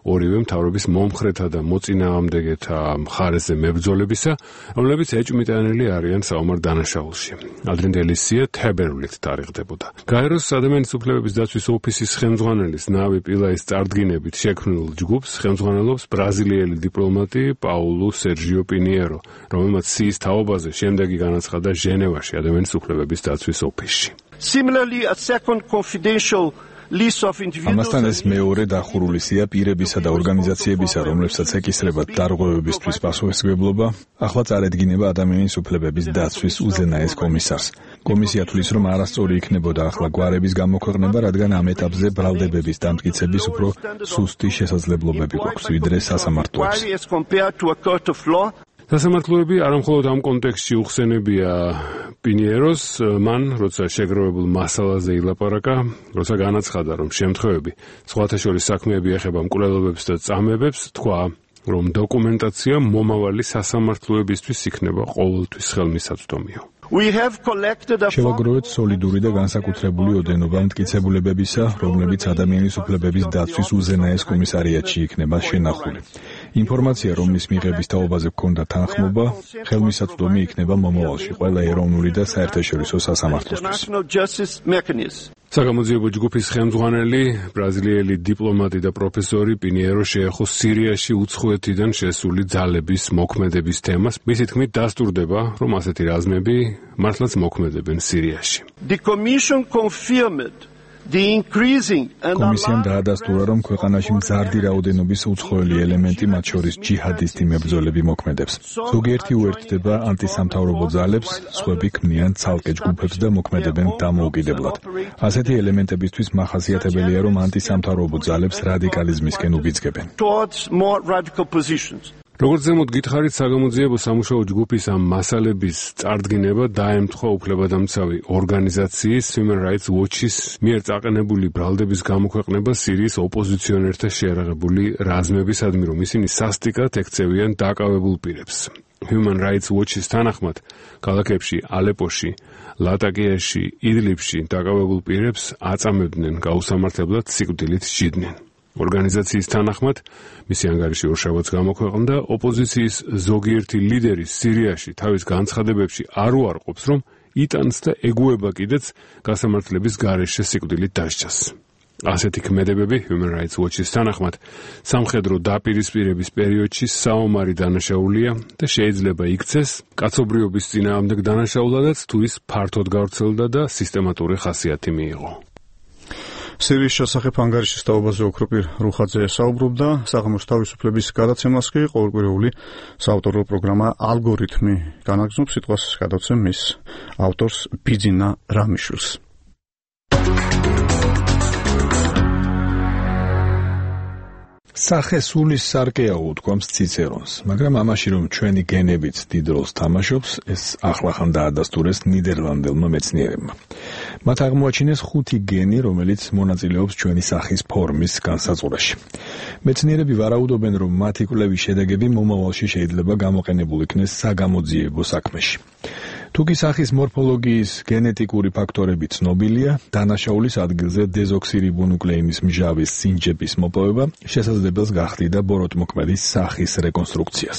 ორივე მთავრობის მომხრეთა და მოწინააღმდეგეთა მხარეზე მებრძოლებისა, რომლებიც ეჭვმიტანილი არიან საომარ დანაშაულში. ადრინდელი სია თებერვლით თარიღდებოდა. გაეროს ადამიანის უფლებების დაცვის ოფისის ხელმძღვანელის ნავი პილაის წარდგინებით შექმნილ ჯგუფს ხელმძღვანელობს ბრაზილიელი დიპლომატი პაულუ სერჟიო პინიერო, რომელმაც სიის თაობაზე შემდეგი განაცხადა ჟენევაში ადამიანის უფლებების დაცვის ოფისში. Similarly, a second confidential ამასთან ეს მეორე დახურული სია პირებისა და ორგანიზაციებისა, რომლებსაც ეკისრებათ დარღვევებისთვის პასუხისმგებლობა, ახლა წარედგინება ადამიანის უფლებების დაცვის უზენაეს კომისარს. კომისია თვლის, რომ არასწორი იქნებოდა ახლა გვარების გამოქვეყნება, რადგან ამ ეტაპზე ბრალდებების დამტკიცების უფრო სუსტი შესაძლებლობები გვაქვს, ვიდრე სასამართლოებს. სასამართლოები არამხოლოდ ამ კონტექსტში უხსენებია პინიეროს, მან, როცა შეგროვებულ მასალაზე ილაპარაკა, როცა განაცხადა, რომ შემთხვევები სხვათა შორის საქმეები ეხება მკვლელობებს და წამებებს, თქვა, რომ დოკუმენტაცია მომავალი სასამართლოებისთვის იქნება ყოველთვის ხელმისაწვდომიო. შევაგროვეთ სოლიდური და განსაკუთრებული ოდენობა მტკიცებულებებისა, რომლებიც ადამიანის უფლებების დაცვის უზენაეს კომისარიატში იქნება შენახული. ინფორმაცია, რომლის მიღების თაობაზე გქონდა თანხმობა, ხელმისაწვდომი იქნება მომავალში ყველა ეროვნული და საერთაშორისო სასამართლოსთვის. საგამოძიებო ჯგუფის ხელმძღვანელი, ბრაზილიელი დიპლომატი და პროფესორი პინიერო შეეხო სირიაში უცხოეთიდან შესული ძალების მოქმედების თემას. მისი თქმით დასტურდება, რომ ასეთი რაზმები მართლაც მოქმედებენ სირიაში. კომისიამ დაადასტურა, რომ ქვეყანაში მზარდი რაოდენობის უცხოელი ელემენტი, მათ შორის ჯიჰადისტი მებრძოლები მოქმედებს. ზოგიერთი უერთდება ანტისამთავრობო ძალებს, სხვები ქმნიან ცალკე ჯგუფებს და მოქმედებენ დამოუკიდებლად. ასეთი ელემენტებისთვის მახასიათებელია, რომ ანტისამთავრობო ძალებს რადიკალიზმისკენ უბიძგებენ. როგორც ზემოთ გითხარით, საგამოძიებო სამუშაო ჯგუფის ამ მასალების წარდგინება დაემთხვა უფლებადამცავი ორგანიზაციის Human Rights Watch-ის მიერ წაყენებული ბრალდების გამოქვეყნება სირიის ოპოზიციონერთა შეიარაღებული რაზმებისადმი, რომ ისინი სასტიკად ექცევიან დაკავებულ პირებს. Human Rights Watch-ის თანახმად, ქალაქებში ალეპოში, ლატაკიაში, იდლიბში დაკავებულ პირებს აწამებდნენ, გაუსამართლებლად სიკვდილით სჯიდნენ. ორგანიზაციის თანახმად, მისი ანგარიში ორშაბათს გამოქვეყნდა, ოპოზიციის ზოგიერთი ლიდერი სირიაში თავის განცხადებებში არ უარყოფს, რომ იტანს და ეგუება კიდეც გასამართლების გარეშე სიკვდილით დასჯას. ასეთი ქმედებები Human Rights Watch-ის თანახმად სამხედრო დაპირისპირების პერიოდში საომარი დანაშაულია და შეიძლება იქცეს კაცობრიობის წინააღმდეგ დანაშაულადაც თუ ის ფართოდ გავრცელდა და სისტემატური ხასიათი მიიღო. სირიის შესახებ ანგარიშის თაობაზე ოქროპირ რუხაძე საუბრობდა, საღამოს თავისუფლების გადაცემას კი ყოველკვირეული საავტორო პროგრამა ალგორითმი განაგრძობს, სიტყვას გადავცემ მის ავტორს ბიძინა რამიშვილს. სახე სულის სარკეა უთქვამს ციცერონს, მაგრამ ამაში რომ ჩვენი გენებიც დიდ როლს თამაშობს, ეს ახლახან დაადასტურეს ნიდერლანდებმა მეცნიერებმა. მათ აღმოაჩინეს 5 გენი, რომელიც მონაწილეობს ჩვენი სახის ფორმის განსაზღვრაში. მეცნიერები ვარაუდობენ, რომ მათი კვლევის შედეგები მომავალში შეიძლება გამოყენებულ იქნეს საგამოძიებო საქმეში. თუკი სახის მორფოლოგიის გენეტიკური ფაქტორები ცნობილია, დანაშაულის ადგილზე დეზოქსირიბონუკლეინის მჟავის სინჯების მოპოვება შესაძლებელს გახდიდა ბოროტმოქმედის სახის რეკონსტრუქციას.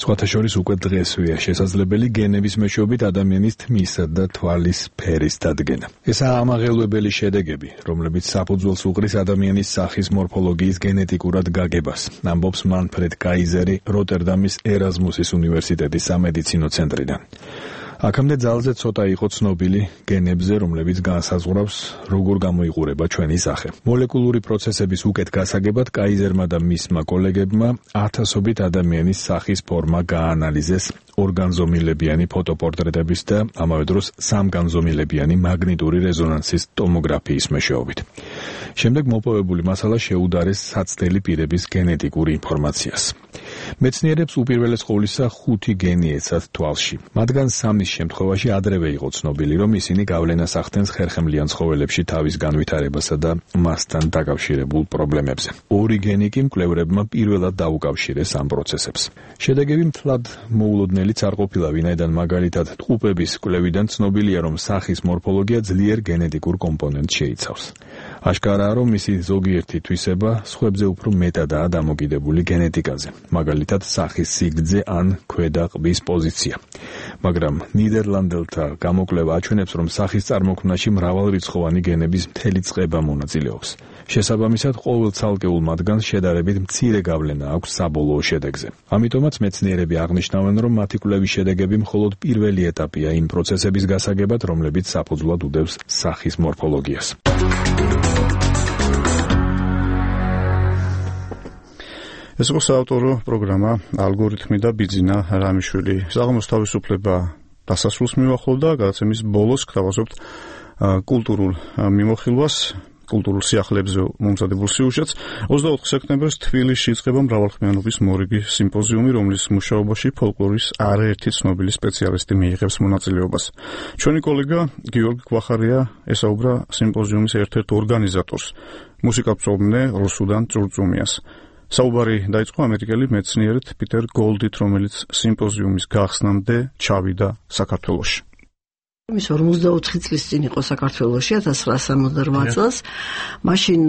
სხვათა შორის უკვე დღესვეა შესაძლებელი გენების მეშვეობით ადამიანის თმისა და თვალის ფერის დადგენა. ესაა ამაღელვებელი შედეგები, რომლებიც საფუძველს უყრის ადამიანის სახის მორფოლოგიის გენეტიკურად გაგებას, ამბობს მანფრედ კაიზერი როტერდამის ერაზმუსის უნივერსიტეტის სამედიცინო ცენტრიდან. აქამდე ძალზე ცოტა იყო ცნობილი გენებზე, რომლებიც განსაზღვრავს, როგორ გამოიყურება ჩვენი სახე. მოლეკულური პროცესების უკეთ გასაგებად კაიზერმა და მისმა კოლეგებმა ათასობით ადამიანის სახის ფორმა გაანალიზეს ორგანზომილებიანი ფოტოპორტრეტების და ამავე დროს სამგანზომილებიანი მაგნიტური რეზონანსის ტომოგრაფიის მეშვეობით. შემდეგ მოპოვებული მასალა შეუდარეს საცდელი პირების გენეტიკურ ინფორმაციას. მეცნიერებს უპირველეს ყოვლისა 5 გენი ეცათ თვალში. მათგან 3-ის შემთხვევაში ადრევე იყო ცნობილი, რომ ისინი გავლენას ახდენს ხერხემლიან ცხოველებში თავის განვითარებასა და მასთან დაკავშირებულ პრობლემებზე. 2 გენი კი მკვლევრებმა პირველად დაუკავშირეს ამ პროცესებს. შედეგები მთლად მოულოდნელიც არ ყოფილა, ვინაიდან მაგალითად ტყუპების კვლევიდან ცნობილია, რომ სახის მორფოლოგია ძლიერ გენეტიკურ კომპონენტს შეიცავს. აშკარაა, რომ მისი ზოგიერთი თვისება სხვებზე უფრო მეტადაა დამოკიდებული გენეტიკაზე, მაგალითად სახის სიგრძე ან ქვედა ყბის პოზიცია. მაგრამ ნიდერლანდელთა გამოკვლევა აჩვენებს, რომ სახის წარმოქმნაში მრავალრიცხოვანი გენების მთელი წყება მონაწილეობს. შესაბამისად, ყოველ ცალკეულ მათგანს შედარებით მცირე გავლენა აქვს საბოლოო შედეგზე. ამიტომაც მეცნიერები აღნიშნავენ, რომ მათი კვლევის შედეგები მხოლოდ პირველი ეტაპია იმ პროცესების გასაგებად, რომლებიც საფუძვლად უდევს სახის მორფოლოგიას. ეს იყო საავტორო პროგრამა ალგორითმი და ბიძინა რამიშვილი. საღამოს თავისუფლება დასასრულს მივახლოვდა, გადაცემის ბოლოს გთავაზობთ კულტურულ მიმოხილვას, კულტურულ სიახლეებზე მომზადებულ სიუჟეტს. 24 სექტემბერს თბილისში იწყება მრავალხმიანობის მორიგი სიმპოზიუმი, რომლის მუშაობაში ფოლკლორის არაერთი ცნობილი სპეციალისტი მიიღებს მონაწილეობას. ჩვენი კოლეგა გიორგი გვახარია ესაუბრა სიმპოზიუმის ერთ-ერთ ორგანიზატორს, მუსიკათმცოდნე რუსუდან წურწუმიას. საუბარი დაიწყო ამერიკელი მეცნიერით პიტერ გოლდით, რომელიც სიმპოზიუმის გახსნამდე ჩავიდა საქართველოში. ის 44 წლის წინ იყო საქართველოში 1968 წელს. მაშინ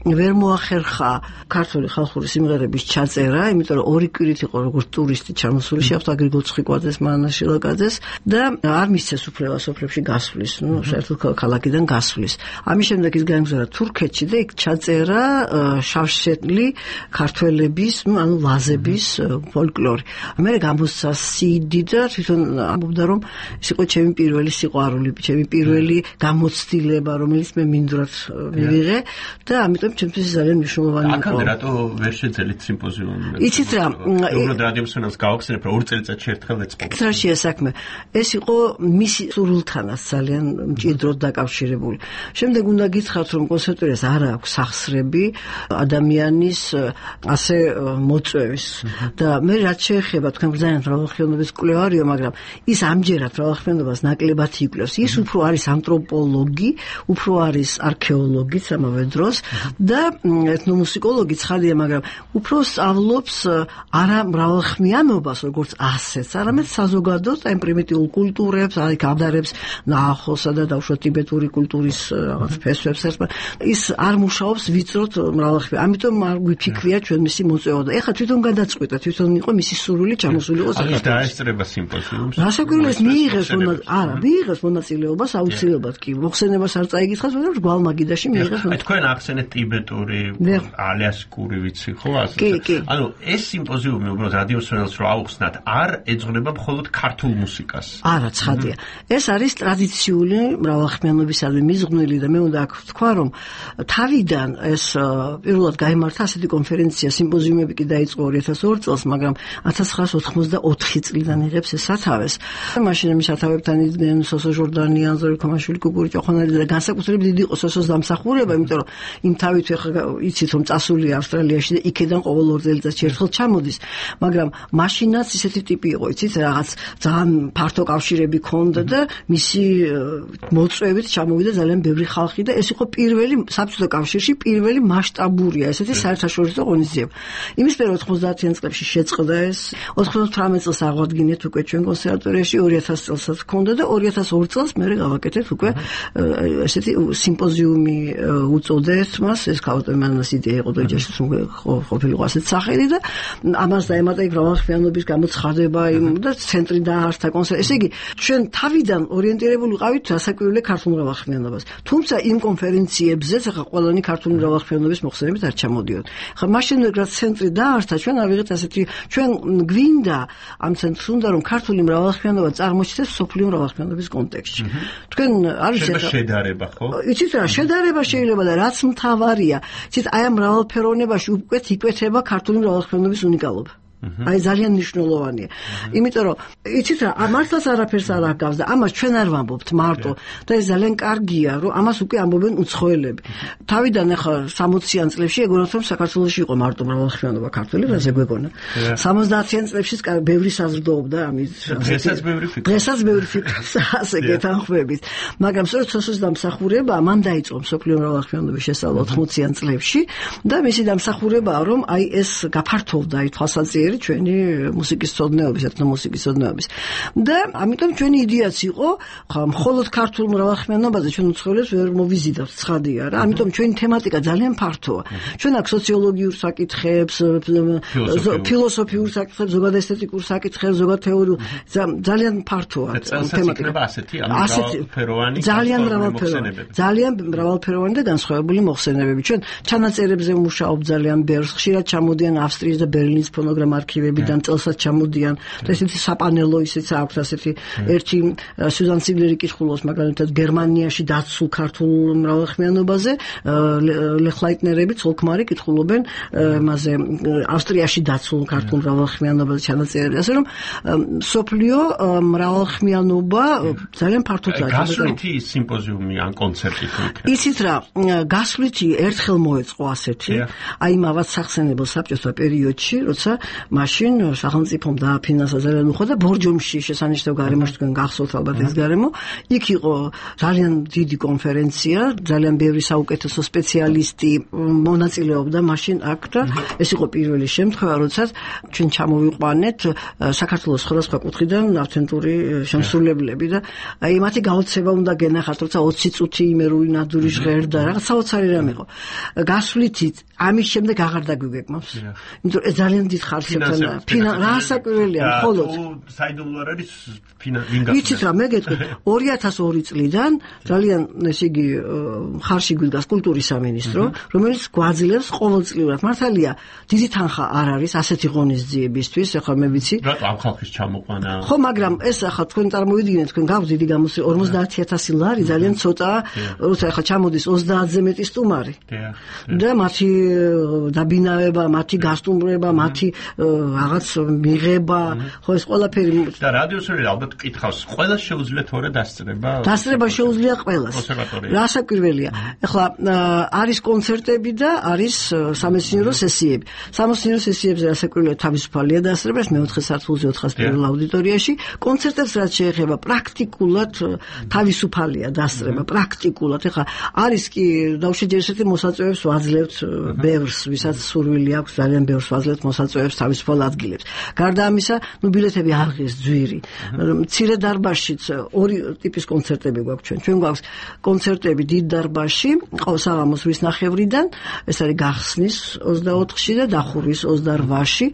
ვერ მოახერხა ქართული ხალხური სიმღერების ჩაწერა, იმიტომ რომ 2 კვირით იყო როგორც ტურისტი ჩამოსული, შეხვდა გრიგოლ ცხიკვაძეს, მანა შილაკაძეს და არ მისცეს უფლება სოფლებში გასვლის, საერთოდ ქალაქიდან გასვლის. ამის შემდეგ ის გაემგზავრა თურქეთში და იქ ჩაწერა შავშეთლი ქართველების, ანუ ლაზების ფოლკლორი. მე გამოსცა CD და თვითონ ამბობდა, რომ ეს იყო ჩემი პირველი სიყვარული, ჩემი პირველი გამოცდილება, რომელიც მე მინდვრად მივიღე და ამიტომ ჩემთვის ძალიან მნიშვნელოვანი იყო. აქამდე რატო ვერ შეძელით სიმპოზიუმი? იცით რა, უბრალოდ რადიომსვენელს გავახსენებ, რომ 2 წელიწადში ერთხელ ეწყობა. ხსრაშია საქმე. ეს იყო მისი სურვილთანაც ძალიან მჭიდროდ დაკავშირებული. შემდეგ უნდა გითხრათ, რომ კონსერვატორიას არ აქვს სახსრები ადამიანის ასე მოწვევის და მე რაც შეეხება თქვენ ბრძანეთ მრავალხმიანობის კვლევარიო, მაგრამ ის ამჯერად მრავალხმიანობას ნაკლებად იკვლევს. ის უფრო არის ანთროპოლოგი, უფრო არის არქეოლოგიც ამავე დროს და ეთნომუსიკოლოგი ცხადია, მაგრამ უფრო სწავლობს არა მრავალხმიანობას, როგორც ასეთს, არამედ საზოგადოებას, აი პრიმიტიულ კულტურებს, აი გადარებს ნაახოსა და დაუშვათ ტიბეტური კულტურის რაღაც ფესვებს ერთმა. ის არ მუშაობს ვიწროდ მრავალხმიან. ამიტომ არ გვიფიქრია ჩვენ მისი მოწვევა და ეხლა თვითონ გადაწყვიტა, თვითონ იყო მისი სურვილი ჩამოსული იყო საქართველოს. დაესწრება სიმპოზიუმს. რასაკვირველია, მიიღეს მონაწილეობას აუცილებლად კი. მოხსენებას არ წაიგიცხას, მაგრამ რგვალ მაგიდაში მიიღეს. აი თქვენ ახსენეთ ტიბეტური, ალიასკური ვიცი, ხო ასე? კი. ანუ ეს სიმპოზიუმი უბრალოდ რადიოსმენელს რო აუხსნათ, არ ეძღვნება მხოლოდ ქართულ მუსიკას. არა, ცხადია. ეს არის ტრადიციული მრავალხმიანობისადმი მიზღვნილი და მე უნდა აქ ვთქვა, რომ თავიდან ეს პირველად გაიმართა ასეთი კონფერენცია, სიმპოზიუმები კი დაიწყო 2002 წელს, მაგრამ 1984 წლიდან იღებს ეს სათავეს. მაშინ ამის სათავებთან იდგნენ სოსო ჟორდანიან, ზორი ქომაშვილი, გუგური ჭოხონელი და განსაკუთრებით დიდი იყო სოსოს დამსახურება, იმიტომ რომ იმ თავით ახლა იცით რომ წასულია ავსტრალიაში და იქედან ყოველ 2 წელიწადში ერთხელ ჩამოდის, მაგრამ მაშინაც ისეთი ტიპი იყო, იცით, რაღაც ძალიან ფართო კავშირები ქონდა და მისი მოწვევით ჩამოვიდა ძალიან ბევრი ხალხი და ეს იყო პირველი საბჭოთა კავშირში პირველი მასშტაბურია ესეთი საერთაშორისო ღონისძიება. იმის პერ 90-იან წლებში შეწყდა ეს, 98 წელს აღვადგინეთ უკვე ჩვენ კონსერვატორიაში, 2000 წელსაც ჰქონდა და 2002 წელს მე გავაკეთეთ უკვე ესეთი სიმპოზიუმი უწოდეთ მას, ეს ქავტემანას იდეა იყო და ეჯაშიც ყოფილიყო ასეთ სახელი და ამას დაემატა იქ მრავალხმიანობის გამოცხადება და ცენტრი დაარსდა კონსერვატორიაში. ესე იგი, ჩვენ თავიდან ორიენტირებული ვიყავით რასაკვირველია ქართულ მრავალხმიანობას. თუმცა იმ კონფერენციებზეც ახლა ყველანი ქართული მრავალხმიანობის მოხსენებით არ ჩამოდიოდ. ახლა მაშინ რაც ცენტრი დაარსდა, ჩვენ ავიღეთ ასეთი, ჩვენ გვინდა ამ ცენტრს უნდა რომ ქართული მრავალხმიანობა წარმოჩნდეს სოფლიო მრავალხმიანობის კონტექსტში. თქვენ არ ვიცით შედარება, ხო? იცით რა, შედარება შეიძლება და რაც მთავარია, იცით აი ამ მრავალფეროვნებაში უკვე იკვეთება ქართული მრავალხმიანობის უნიკალობა. აი ძალიან მნიშვნელოვანია. იმიტომ რომ იცით რა, მართლაც არაფერს არ აკავს და ამას ჩვენ არ ვამბობთ მარტო და ეს ძალიან კარგია, რომ ამას უკვე ამბობენ უცხოელები. თავიდან ახლა 60-იან წლებში ეგონათ რომ საქართველოში იყო მარტო მრავალხმიანობა ქართული, რაზე გვეგონა. 70-იან წლებში ბევრი საზრდოობდა ამის. დღესაც ბევრი ფიქრობს ასე გეთანხმებით. მაგრამ სწორედ სოსოს დამსახურება მან დაიწყო სოფლიო მრავალხმიანობის შესწავლა 80-იან წლებში და მისი დამსახურებაა რომ აი ეს გაფართოვდა აი თვალსაჩინო ჩვენი მუსიკის ცოდნეობის, ეთნომუსიკის ცოდნეობის. და ამიტომ ჩვენი იდეაც იყო, ხა მხოლოდ ქართულ მრავალხმიანობაზე ჩვენ უცხოელებს ვერ მოვიზიდავთ, ცხადია რა. ამიტომ ჩვენი თემატიკა ძალიან ფართოა. ჩვენ აქ სოციოლოგიურ საკითხებს, ფილოსოფიურ საკითხებს, ზოგადად ესთეტიკურ საკითხებს, ზოგადად თეორიულ, ძალიან ფართოა თემატიკა. ძალიან მრავალფეროვანი და განსხვავებული მოხსენებები. ჩვენ ჩანაწერებზე ვმუშაობთ ძალიან ბევრს, ხშირად ჩამოდიან ავსტრიის და ბერლინის ფონოგრამა არქივებიდან წელსაც ჩამოდიან და ესეთი საპანელო ისიც აქვს ასეთი ერთი სუზან ციგლერი კითხულობს მაგალითად გერმანიაში დაცულ ქართულ მრავალხმიანობაზე ლეხლაიტნერები ცოლქმარი კითხულობენ მასე ავსტრიაში დაცულ ქართულ მრავალხმიანობაზე ჩანაწერები ასე რომ სოფლიო მრავალხმიანობა ძალიან ფართოდ გასვლითი სიმპოზიუმი ან კონცერტი იქნება ისიც რა გასვლითი ერთხელ მოეწყო ასეთი აი მავაც სახსენებელ საბჭოთა პერიოდში როცა მაშინ სახელმწიფომ დააფინანსა ძალიან უხო და ბორჯომში შესანიშნავ გარემოში თქვენ გახსოვთ ალბათ ეს გარემო იქ იყო ძალიან დიდი კონფერენცია ძალიან ბევრი საუკეთესო სპეციალისტი მონაწილეობდა მაშინ აქ და ეს იყო პირველი შემთხვევა როცა ჩვენ ჩამოვიყვანეთ საქართველოს სხვადასხვა კუთხიდან ავთენტური შემსრულებლები და აი მათი გაოცება უნდა გენახათ როცა 20 წუთი იმერული ნადური ჟღერდა რაღაც საოცარი რამ იყო გასვლითი ამის შემდეგ აღარ დაგვიგეკმავს იმიტომ რომ ძალიან დიდ ხარჯებთან რასაკვირველია მხოლოდ საიდუმლო არის იცით რა მე გეტყვი 2002 წლიდან ძალიან ესე იგი ხარში გვიდგას კულტურის სამინისტრო რომელიც გვაძლევს ყოველწლიურად მართალია დიდი თანხა არ არის ასეთი ღონისძიებისთვის ახლა მე ვიცი რატო ამ ხალხის ჩამოყვანა ხო მაგრამ ეს ახლა თქვენ წარმოვიდგინეთ თქვენ გაქვს დიდი გამოსვლები 50000 ლარი ძალიან ცოტაა როცა ახლა ჩამოდის 30-ზე მეტი სტუმარი და მათი დაბინავება მათი გასტუმრება მათი რაღაც მიღება, ხო ეს ყველაფერი და რადიოსური ალბათ კითხავს, ყველა შეუძლია თორე დასწრება? დასწრება შეუძლია ყველას. რასაკვირველია. ეხლა არის კონცერტები და არის სამეცნიერო სესიები. სამეცნიერო სესიებზე რასაკვირველია თავისუფალია დასწრება, ეს მეოთხე სართულზე 400 პირველ აუდიტორიაში. კონცერტებს რაც შეეხება პრაქტიკულად თავისუფალია დასწრება, პრაქტიკულად. ეხლა არის კი დავშეჯერეთ მოსაწვევებს ვაძლევთ ბევრს, ვისაც სურვილი აქვს ძალიან ბევრს ვაძლევთ მოსაწვევებს თავისუფალ ადგილებს. გარდა ამისა, ბილეთები აღიღეს ძვირი. მცირე დარბაზშიც ორი ტიპის კონცერტები გვაქვს ჩვენ. ჩვენ გვაქვს კონცერტები დიდ დარბაზში, საღამოს 8 ნახევრიდან, ეს არის გახსნის 24-ში და დახურვის 28-ში.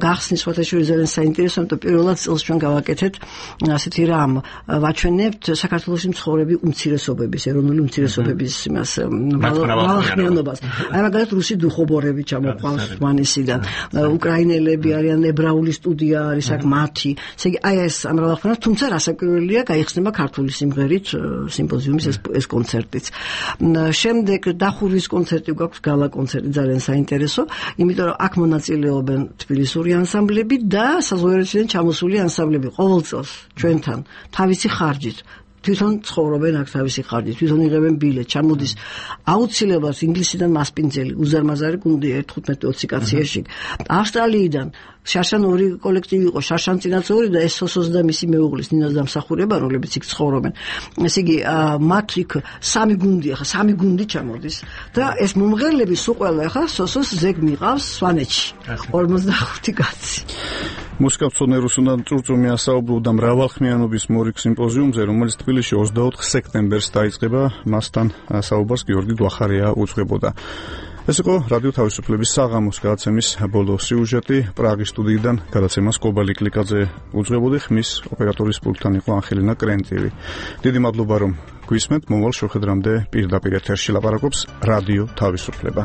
გახსნის ფათაშური ძალიან საინტერესო, იმიტომ პირველად წელს ჩვენ გავაკეთეთ ასეთი რამ, ვაჩვენებთ საქართველოში მცხოვრები უმცირესობების, ეროვნული უმცირესობების იმას მალახმიანობას. აი მაგალითად რუსი დუხობორები ჩამოყვანს მანისიდან, უკრაინელები არიან, ებრაული სტუდია არის აქ მათი. ესე იგი აი ეს ამრავალხმიანობა, თუმცა რასაკვირველია, გაიხსნება ქართული სიმღერით სიმპოზიუმის ეს კონცერტიც. შემდეგ დახურვის კონცერტი გვაქვს, გალა კონცერტი ძალიან საინტერესო, იმიტომ რომ აქ მონაწილეობენ თბილისური ანსამბლები და საზღვარგარეთიდან ჩამოსული ანსამბლები ყოველ წელს ჩვენთან თავისი ხარჯით. თვითონ ცხოვრობენ აქ თავისი ხარჯით, თვითონ იღებენ ბილეთს, ჩამოდის აუცილებლად ინგლისიდან მასპინძელი, უზარმაზარი გუნდი 15-20 კაციაში. ავსტრალიიდან შარშან ორი კოლექტივი იყო, შარშან წინაც ორი და ეს სოსოს და მისი მეუღლის ნინოს დამსახურება, რომლებიც იქ ცხოვრობენ. ესე იგი, მათ იქ სამი გუნდია, ხა სამი გუნდი ჩამოდის და ეს მომღერლები სულ ყველა ხა სოსოს ზეგ მიყავს სვანეთში. 45 კაცი. მუსიკამწოდნე რუსუდან წურწუმი ასაუბრობდა მრავალხმიანობის მორიგ სიმპოზიუმზე, რომელიც თბილისში 24 სექტემბერს დაიწყება, მასთან საუბარს გიორგი დვახარია უძღვებოდა. ეს იყო რადიო თავისუფლების საღამოს გადაცემის ბოლო სიუჟეტი. პრაღის სტუდიიდან გადაცემას კობალი კლიკაძე უძღვებოდი, ხმის ოპერატორის პულტთან იყო ანხელინა კრენტივი. დიდი მადლობა რომ გვისმენთ, მომავალ შეხვედრამდე პირდაპირ ეთერში ლაპარაკობს რადიო თავისუფლება.